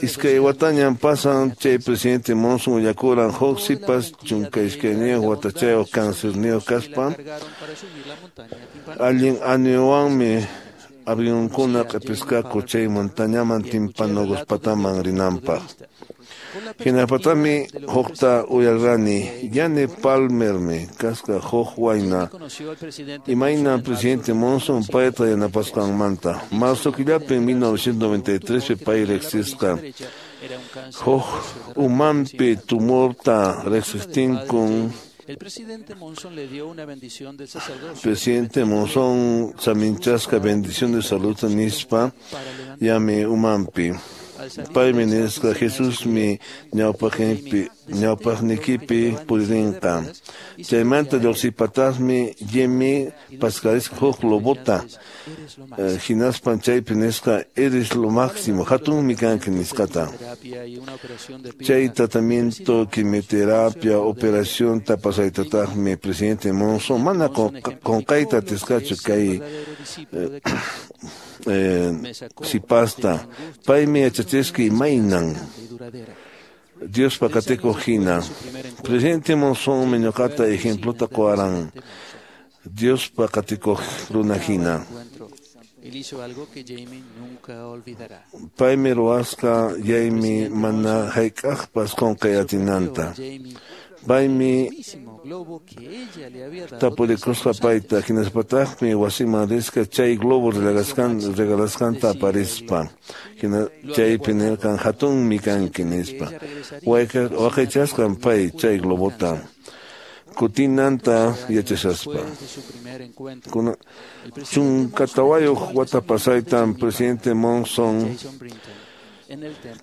Iskay watañan pasan chay presidente Monson willakuran huk sipas 12 watachayuq cancerniyuq kaspa allin añuwanmi avionkuna q'ipisqaku chay montañaman Timpanogos-pataman rinanpaq. Hinapatami hukta uyarqani Jane Palmermi kasqa huk wayna imayna presidente Monson payta yanapasqanmanta. Marzo killapi 1993 pay riqsisqa huk umanpi tumorta riqsiqtinkun. El presidente Monson le dio una bendición del sacerdocio. Presidente Monson saminchasqa bendición de salud nispa yami umanpi. Paymi nisqa Jesusmi ñawpaqnikipi puririnqa. Chaymanta lluqsipataqmi Jimmy paskarisqa huk lobota. Hinaspan chaypi nisqa eres lo máximo, hatunmi kanki nisqata. Chay tratamiento, quimioterapia, operación pasaytataqmi presidente Monson mana qunqayta atisqachu kay sipasta. Paymi yachachisqa imaynan Diospa qatikuq hina. Presidente Monsonmi ñuqata ejemplota quwaran Diospa qatikuq runa hina. Paymi ruwasqa yaymi mana hayk'aqpas qunqay atinanta. Paymi tapurikusqa payta hinaspataqmi wasiman risqa chay globo regalasqanta aparispa. Chaypi nirqan hatunmi kanki nispa. Waqaychasqan pay chay globota kutinanta yachashaspa. 14 wata pasaytan presidente Monson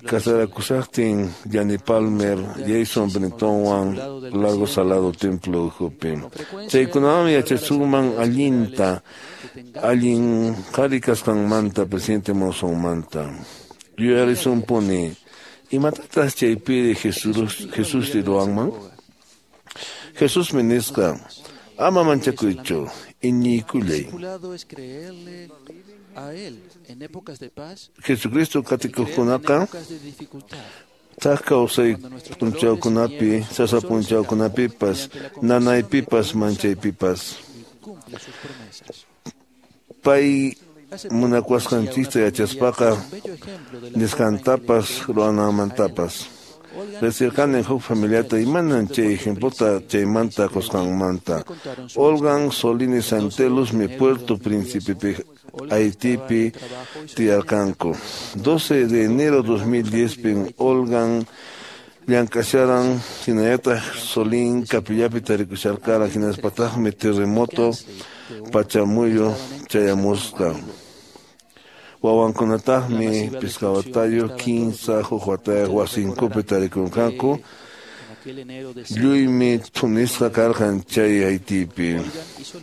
casarakusaqtin Jane Palmer, Jason Brintonwan Lago Salado Templo ukhupi. Chaykunawanmi yachasunman allinta, allin qhari kasqanmanta presidente Monsonmanta. Yuyarisunpuni, imatataq chaypiri Jesusri ruwanman? Jesusmi nisqa, ama manchakuychu, iñiykullay. Jesucristo qatikuqkunaqa thak kawsay p'unchawkunapi, sasa p'unchawkunapipas, nanaypipas, manchaypipas. Pay munakuwasqanchista yachaspaqa nisqantapas ruwananmantapas. Riqsirqani huk familiata imanan chay ejemplota chaymanta qusqanmanta. Olgan Solini Santelusmi Puerto Príncipe Haitipi tiyarqanku. 12 de enero 2010 pin Olgan llank'asharan hinallataq Solín capillapi tarikusharqara hinaspataqmi terremoto pachamuyu chayamusqa. Wawankunataqmi pichqa watayuq, 15 huk watayuq wasinkupi tarikurqanku. Lluymi thunisqa karqan chay Haitipi.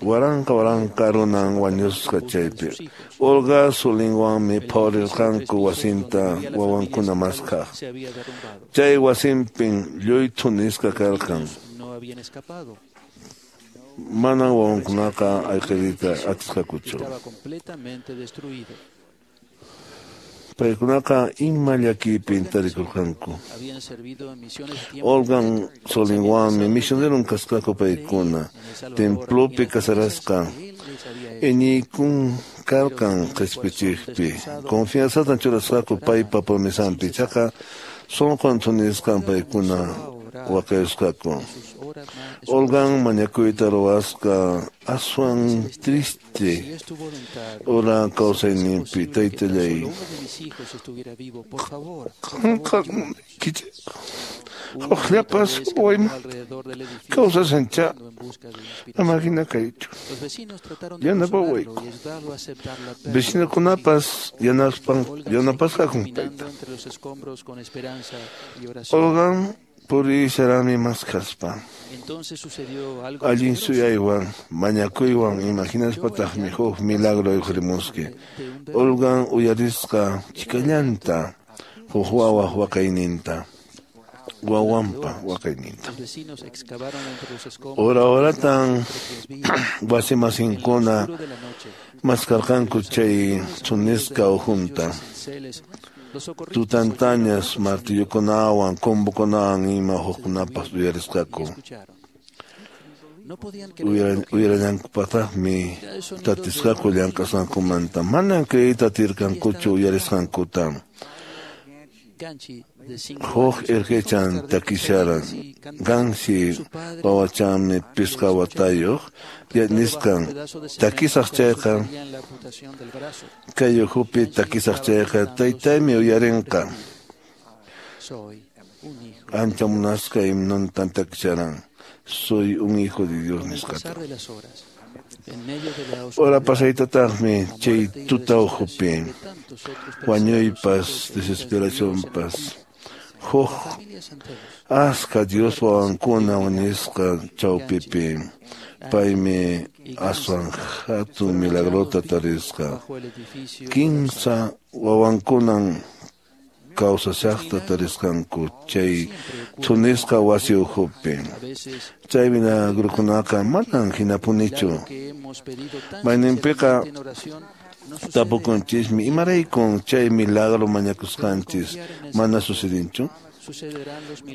Waranqa waranqa runan wañusqa chaypi. Olga Solinwanmi phawarirqanku wasinta wawankuna maskaq. Chay wasinpin lluy thunisqa karqan. Manan wawankunaqa ayqiriyta atisqakuchu. Paykunaqa ima llakiypin tarikurqanku. Olgan Solinwanmi misioneron kasqaku paykuna. Templopi casarasqa. Iñiykun karqan qhispichiqpi. Confianzatan churasqaku paypa promesanpi. Ichaqa sunqun thunisqan paykuna waqayusqaku. Olgan mañakuyta ruwasqa aswan triste ora kawsayninpi taytallay. Qanqa hukllapas waymanta kawsashanchá ama hina kaychu. Yanapawayku. Vecinokunapas yanapasqakun payta. Olgan purisharami maskaspa. Allin suyaywan, mañakuywan, imaginaspataqmi huk milagro riqhurimusqa. Olgan uyarisqa chikallanta huk wawaq waqayninta. Wawanpa waqayninta. Hora horatan wasimasinkuna maskarqanku chay thunisqa ukhunta. Tutantañas martillokunawan, combokunawan ima hukkunapas uyarisqaku. Uyarallankupataqmi tatisqaku llank'asqankumanta. Manan creeyta atirqankuchu uyarisqankuta. Huk irqichan takisharan. Gansi wawachanmi pichqa watayuq nisqan takisaq chayqa kay ukhupi takisaq chayqa taytaymi uyarinqa. Ancha munasqa himnontan takisharan. Soy un hijo de Dios nisqata. Ora pasaytataqmi chay tuta ukhupi wañuypas desesperacionpas huk aska Dios wawankuna wañusqa chawpipi paymi aswan hatun milagrota tarisqa. 15 wawankunan kawsashaqta tarisqanku chay thunisqa wasi ukhupi. Chay milagrukunaqa manan hinapunichu. Mayninpiqa tapukunchismi imaraykun chay milagro mañakusqanchis mana sucedinchu.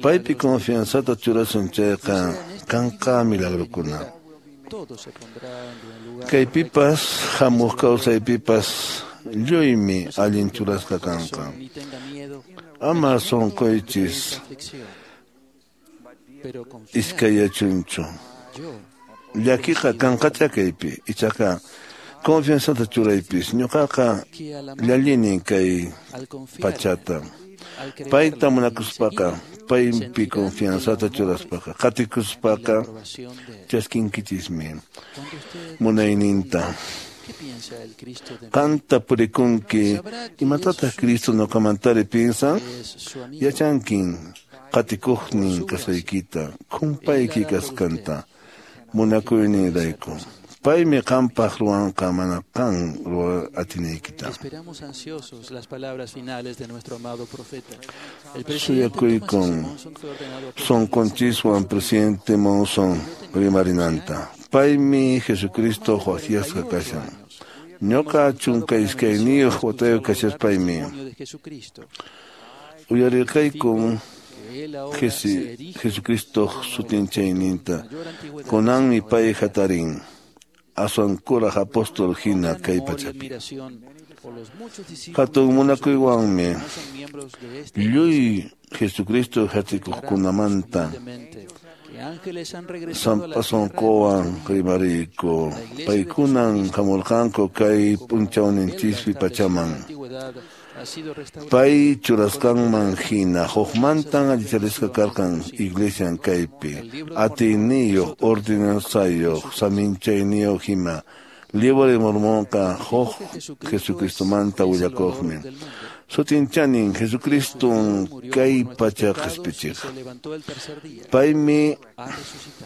Paypi confianzata churasun chayqa kanqa milagrokuna. Kaypipas hamuq kawsaypipas lluymi allin churasqa kanqa. Ama sunquychis iskayachunchu. Llakiqa kanqacha kaypi, ichaqa confianzata churaypis. Ñuqaqa llallinin kay pachata. Payta munakuspaqa, paypi confianzata churaspaqa, qatikuspaqa chaskinkinchismi munayninta. Qanta purikunki, imatataq Cristo ñuqamantari piensan? Yachankin qatikuqnin kasqaykita, kumpayki kasqanta, munakuyninrayku. Paymi qampaq ruwanqa mana qan ruwa atinaykita. Suyakuykun sunqunchiswan presidente Monson rimarinanta. Paymi Jesucristo waqyasqa kashan. Ñuqa 12 watayuq kashaspaymi uyarirqaykun Jesucristo sutinchayninta. Kunanmi pay hatarin. aswan kuraq apóstol hina kay pachapi. Hatun munakuywanmi lluy Jesucristo yachachikuqkunamanta sampa sunquwan rimariyku. Paykunan hamurqanku kay p'unchawninchispi pachaman. Pay churasqanman hina hukmantan allicharisqa karqan iglesian kaypi, atiyniyuq, ordenanzayuq, saminchayniyuq hina. Libro de Mormonqa huk Jesucristomanta willakuqmi. Sutinchanin Jesucriston kay pacha qhispichiq. Paymi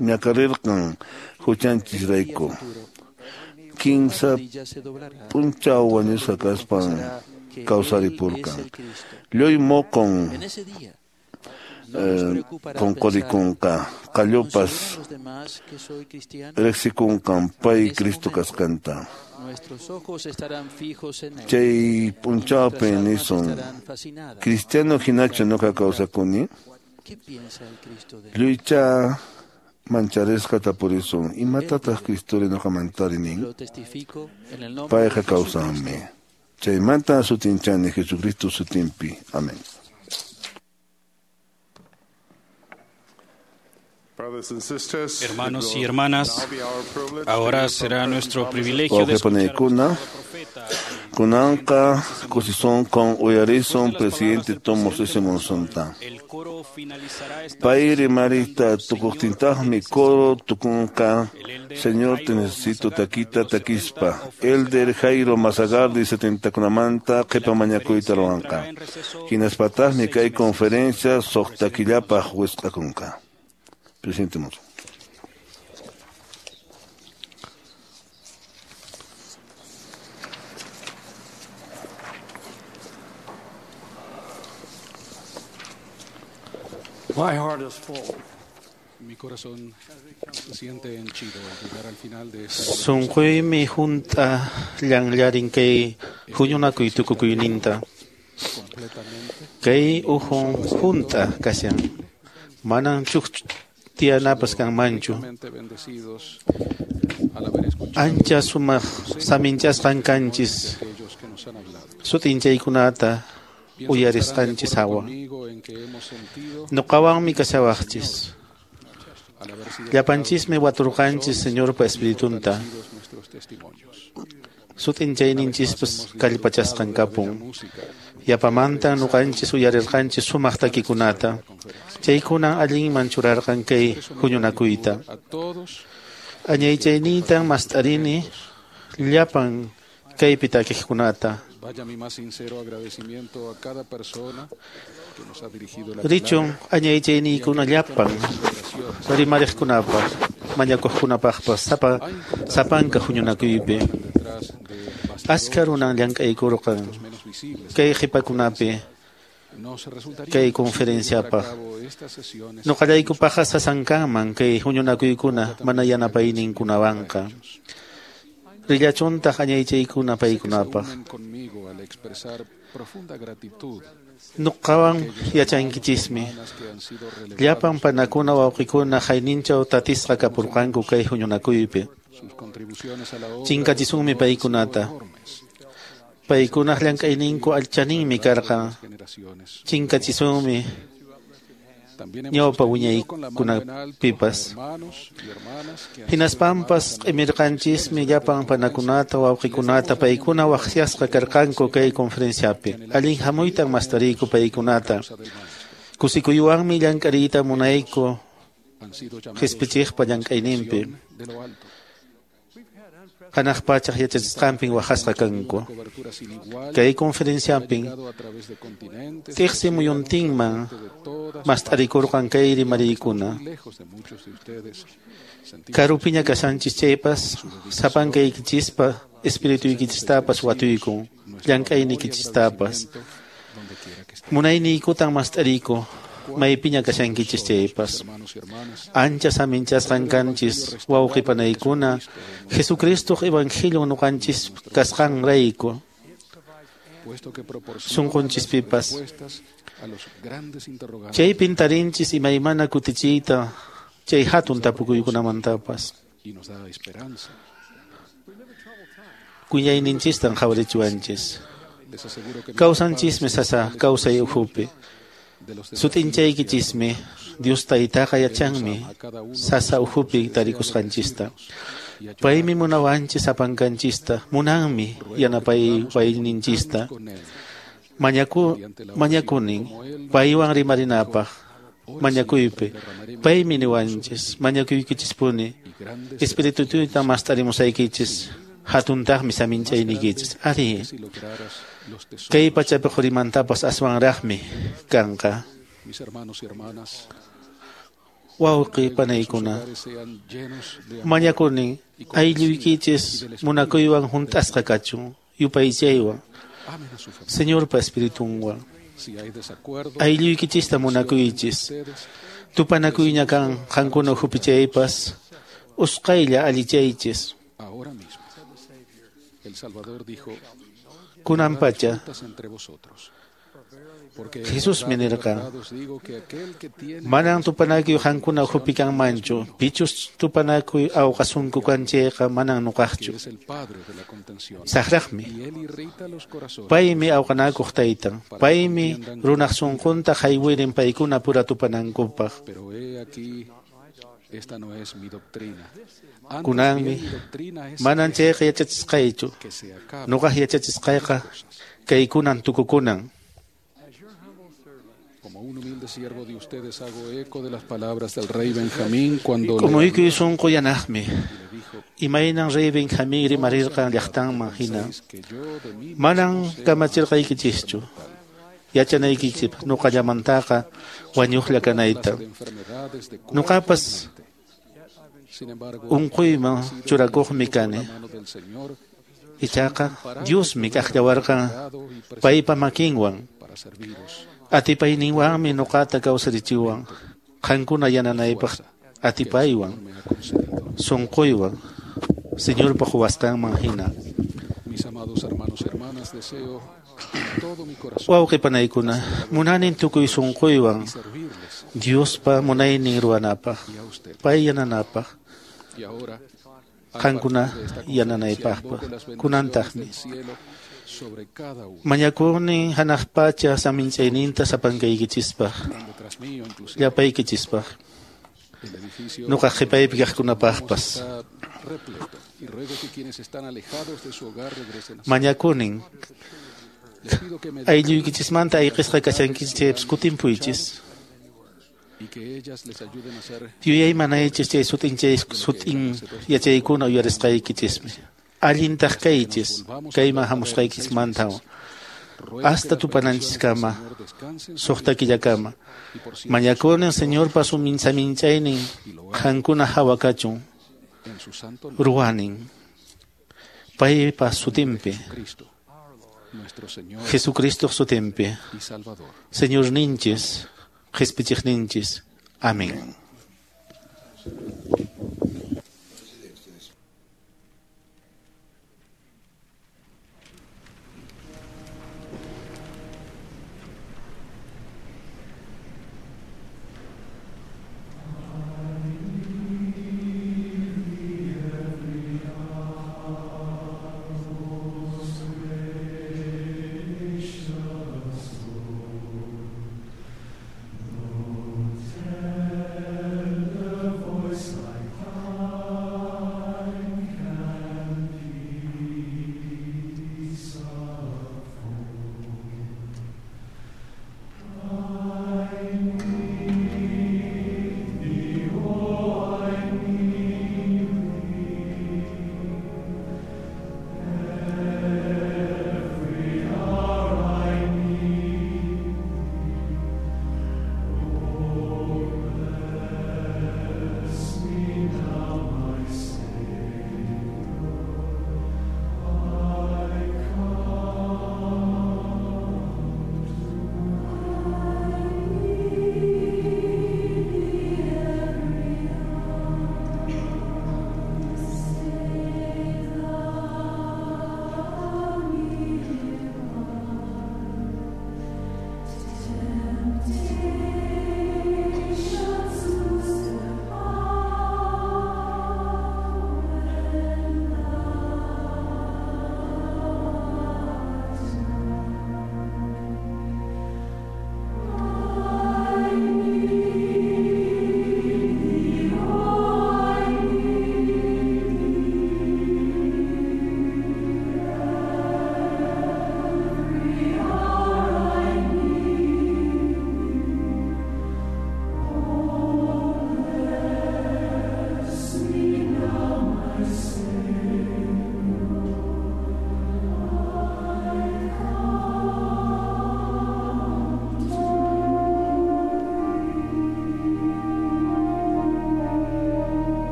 ñakarirqan huchanchisrayku. Kinsa p'unchaw wañusqa kaspan kawsaripurqan. Lluy moqon qunqurikunqa, qallupas riqsikunqan pay Cristo kasqanta. Chay p'unchawpi nisun, cristiano hinachu ñuqa kawsakuni? Lluycha mancharisqa tapurisun, imatataq Cristori ñuqamantari nin? Payqa kawsanmi. Chaymanta sutinchani Jesucristo sutinpi. Amén. Hermanos y hermanas, ahora será nuestro privilegio de escuchar Wawqipanikuna, kunanqa kusisonqon uyarisun presidente Thomas S. Monsonta. Pay rimariyta tukuqtintaqmi coro tukunqa Señor te necesito takita takispa. Elder Jairo Mazagardi 70kunamanta qhipa mañakuyta ruwanqa. Hinaspataqmi kay conferencia suqta killapaq wisq'akunqa. Presidente Monson. My heart is full. Mi corazón se siente henchido al llegar al final de esta Sunquymi hunt'a llanllarin kay huñunakuy tukukuyninta. Kay uhun hunt'a kashan. Manan chuk tiyanapas kanmanchu. bendecidos al haber escuchado Ancha sumaq saminchasqan kanchis. aquellos que nos han hablado. Sutinchaykunata uyarisqanchis hawa. Conmigo en que hemos sentido Nuqawanmi kashawaqchis. al haber sido Llapanchismi waturqanchis Señorpa Espiritunta. nuestros testimonios. Sutinchayninchispas kallpachasqan kapun. Yapamanta nuqanchis uyarirqanchis sumaq takikunata. Chaykunan allinman churarqan kay huñunakuyta. A todos Añaychayniytan mast'arini llapan kaypi takiqkunata. vaya mi más sincero agradecimiento a cada persona que nos ha dirigido la Richun añaychayniykuna llapan rimariqkunapaq, mañakuqkunapaqpas sapa sapanka huñunakuypi. Achka runan llank'aykurqan kay qhipakunapi Nos resultaría kay imposible llevar a conferenciapaq. cabo estas sesiones Nuqallaykupaqa sasankanman kay huñunakuykuna mana yanapayninkunawanqa. Rillachuntaq añaychaykuna paykunapaq. unen conmigo al expresar profunda gratitud Nuqawan yachankichismi. que han sido relevadas Llapan panakuna wawqikuna hayninchaw tatisqa kapurqanku kay huñunakuypi. sus contribuciones a la obra Chinkachisunmi paykunata. Paykunaq llank'ayninku allchaninmi karqan. generaciones. Chinkachisunmi También hemos ñawpa sostenido con la mano en alto wiñaykunapipas. hermanos y hermanas que han Hinaspanpas q'imirqanchismi llapan panakunata wawqikunata paykuna waqyasqa karqanku kay conferenciapi. Allin hamuytan mastariyku paykunata. Kusikuywanmi llank'ariyta munayku han sido llamados qispichiqpa llank'ayninpi. de lo alto. Hanaq pachaq yachachisqanpin waqasqa kanku. Cobertura sin igual Kay conferenciapin llegado a través de continentes tiqsi muyuntinman mast'arikurqan kay rimariykuna. lejos de muchos de ustedes. Sentimos Karupiña kashanchis chaypas sapankaykichispa espirituykichistapas watuykun, llank'aynikichistapas. donde quiera que estén. Munayniykutan mast'ariyku maypiña kashankichis chaypas. Hermanos y hermanas, Ancha saminchasqan kanchis wawqipanaykuna Jesucristoq evangelio nuqanchis kasqanrayku puesto que proporciona sunqunchispipas. respuestas a los grandes interrogantes Chaypin tarinchis imaymana kutichiyta chay hatun tapukuykunamantapas. y nos da esperanza. Kuyayninchistan qhawarichiwanchis. Kawsanchismi sasa kawsay ukhupi. Sut'inchaykichismi Dios taytaqa yachanmi sasa ukhupi tarikusqanchista. Paymi munawanchis apankanchista, munanmi yanapayninchista. Mañakunin paywan rimarinapaq mañakuypi. Paymi niwanchis mañakuykichispuni Espiritutuyta mast'arimusaykichis hatuntaqmi saminchayniykichis. Ari, kay pachapi qurimantapas aswanraqmi kanqa. Wawqi panaykuna, mañakunin aylluykichis munakuywan hunt'asqa kachun, yupaychaywan, Señorpa Espiritunwan. Aylluykichista munakuychis. Tupanakuyña kan qankuna ukhupi chaypas, usqhaylla allichaychis. Kunan pacha Jesusmi nirqan, manan tupanakuy qankuna ukhupi kanmanchu, pichus tupanakuy awqasunku kan chayqa manan nuqaqchu. Saqraqmi. Paymi awqanakuq taytan, paymi runaq sunqunta haywirin paykuna pura tupanankupaq. Kunanmi manan chayqa yachachisqaychu, nuqaq yachachisqayqa kaykunan tukukunan. K'umuykuy sunqu yanaqmi, imaynan rey Benjamín rimarirqan llaqtanman hina. Manan kamachirqaykichischu yachanaykichikpaq nuqallamantaqa wañuqlla kanayta. Nuqapas unquyman churakuqmi kani. Ichaqa Diosmi k'aqllawarqan paypa makinwan. Atipayninwanmi nuqata kawsarichiwan, qankuna yananaypaq atipaywan, sunquywan, Señorpa quwasqanman hina. Wawqi panaykuna, munanin tukuy sunquywan Diospa munaynin ruwanapaq, pay yananapaq, qankuna yananaypaqpas, kunantaqmi. Mañakunin hanaq pacha saminchayninta sapankaykichispaq, llapaykichispaq, nuqaq qhipaypi kaqkunapaqpas. Mañakunin aylluykichismanta ayqisqa kashankichis chaypas kutimpuychis. Yuyaymanaychis chay sut'in yachaykuna uyarisqaykichismi. Allintaq kaychis kayman hamusqaykichismantawan hasta tupananchiskama suqta killakama. Mañakunin Señorpa saminchaynin qankuna hawa kachun, ruwanin paypa sutinpi, Jesucristoq sutinpi, Señorninchis, Qhispichiqninchis. Amén. Voice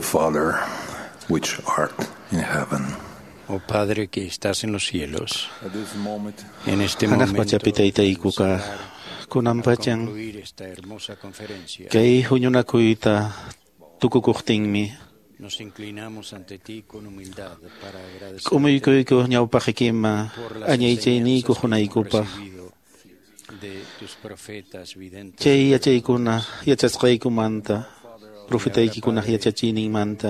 Father, which art in heaven. Oh Padre que estás en los cielos, en este Hanaq momento pachapi taytaykuqa kunan pachan concluir esta hermosa conferencia, kay huñunakuyta tukukuqtinmi nos inclinamos ante ti con humildad para agradecer k'umuykuyku ñawpaqikiman por las añaychayniyku enseñanzas que hemos hunaykupaq recibido de tus profetas videntes. chay yachaykuna yachasqaykumanta profetaykikunaq yachachiyninmanta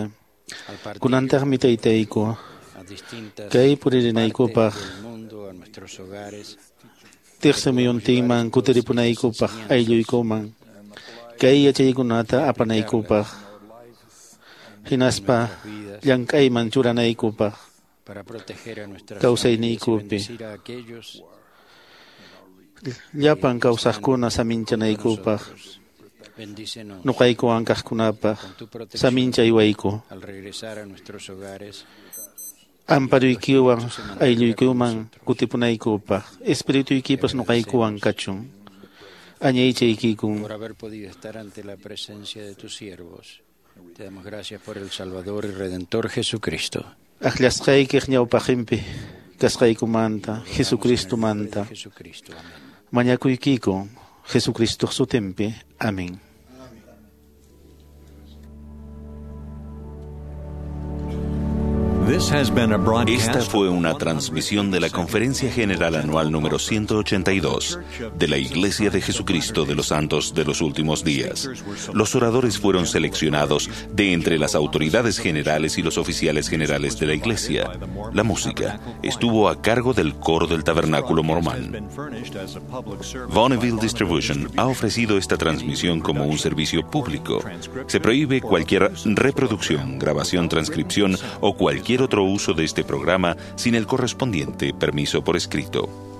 Al partir kunantaqmi taytayku a distintas kay puririnaykupaq partes del mundo, a nuestros hogares, tiqsimuyuntinman kutiripunaykupaq aylluykuman kay yachaykunata apanaykupaq hinaspa llank'ayman churanaykupaq para proteger a nuestras familias y kawsayniykupi bendecir a aquellos llapan kawsaqkuna saminchanaykupaq Bendícenos nuqaykuwan kaqkunapaq con tu protección saminchaywayku al regresar a nuestros hogares. amparuykiwan aylluykuman kutipunaykupaq espirituykipas nuqaykuwan kachun añaychaykikun por haber podido estar ante la presencia de tus siervos. Te damos gracias por el Salvador y Redentor Jesucristo. Akllasqaykiq ñawpaqinpi kasqaykumanta Jesucristomanta Jesucristo. Amén. mañakuykiku Jesucristoq sutinpi. Amén. Esta fue una transmisión de la Conferencia General Anual número 182 de la Iglesia de Jesucristo de los Santos de los Últimos Días. Los oradores fueron seleccionados de entre las autoridades generales y los oficiales generales de la Iglesia. La música estuvo a cargo del coro del Tabernáculo Mormón. Bonneville Distribution ha ofrecido esta transmisión como un servicio público. Se prohíbe cualquier reproducción, grabación, transcripción o cualquier otro uso de este programa sin el correspondiente permiso por escrito.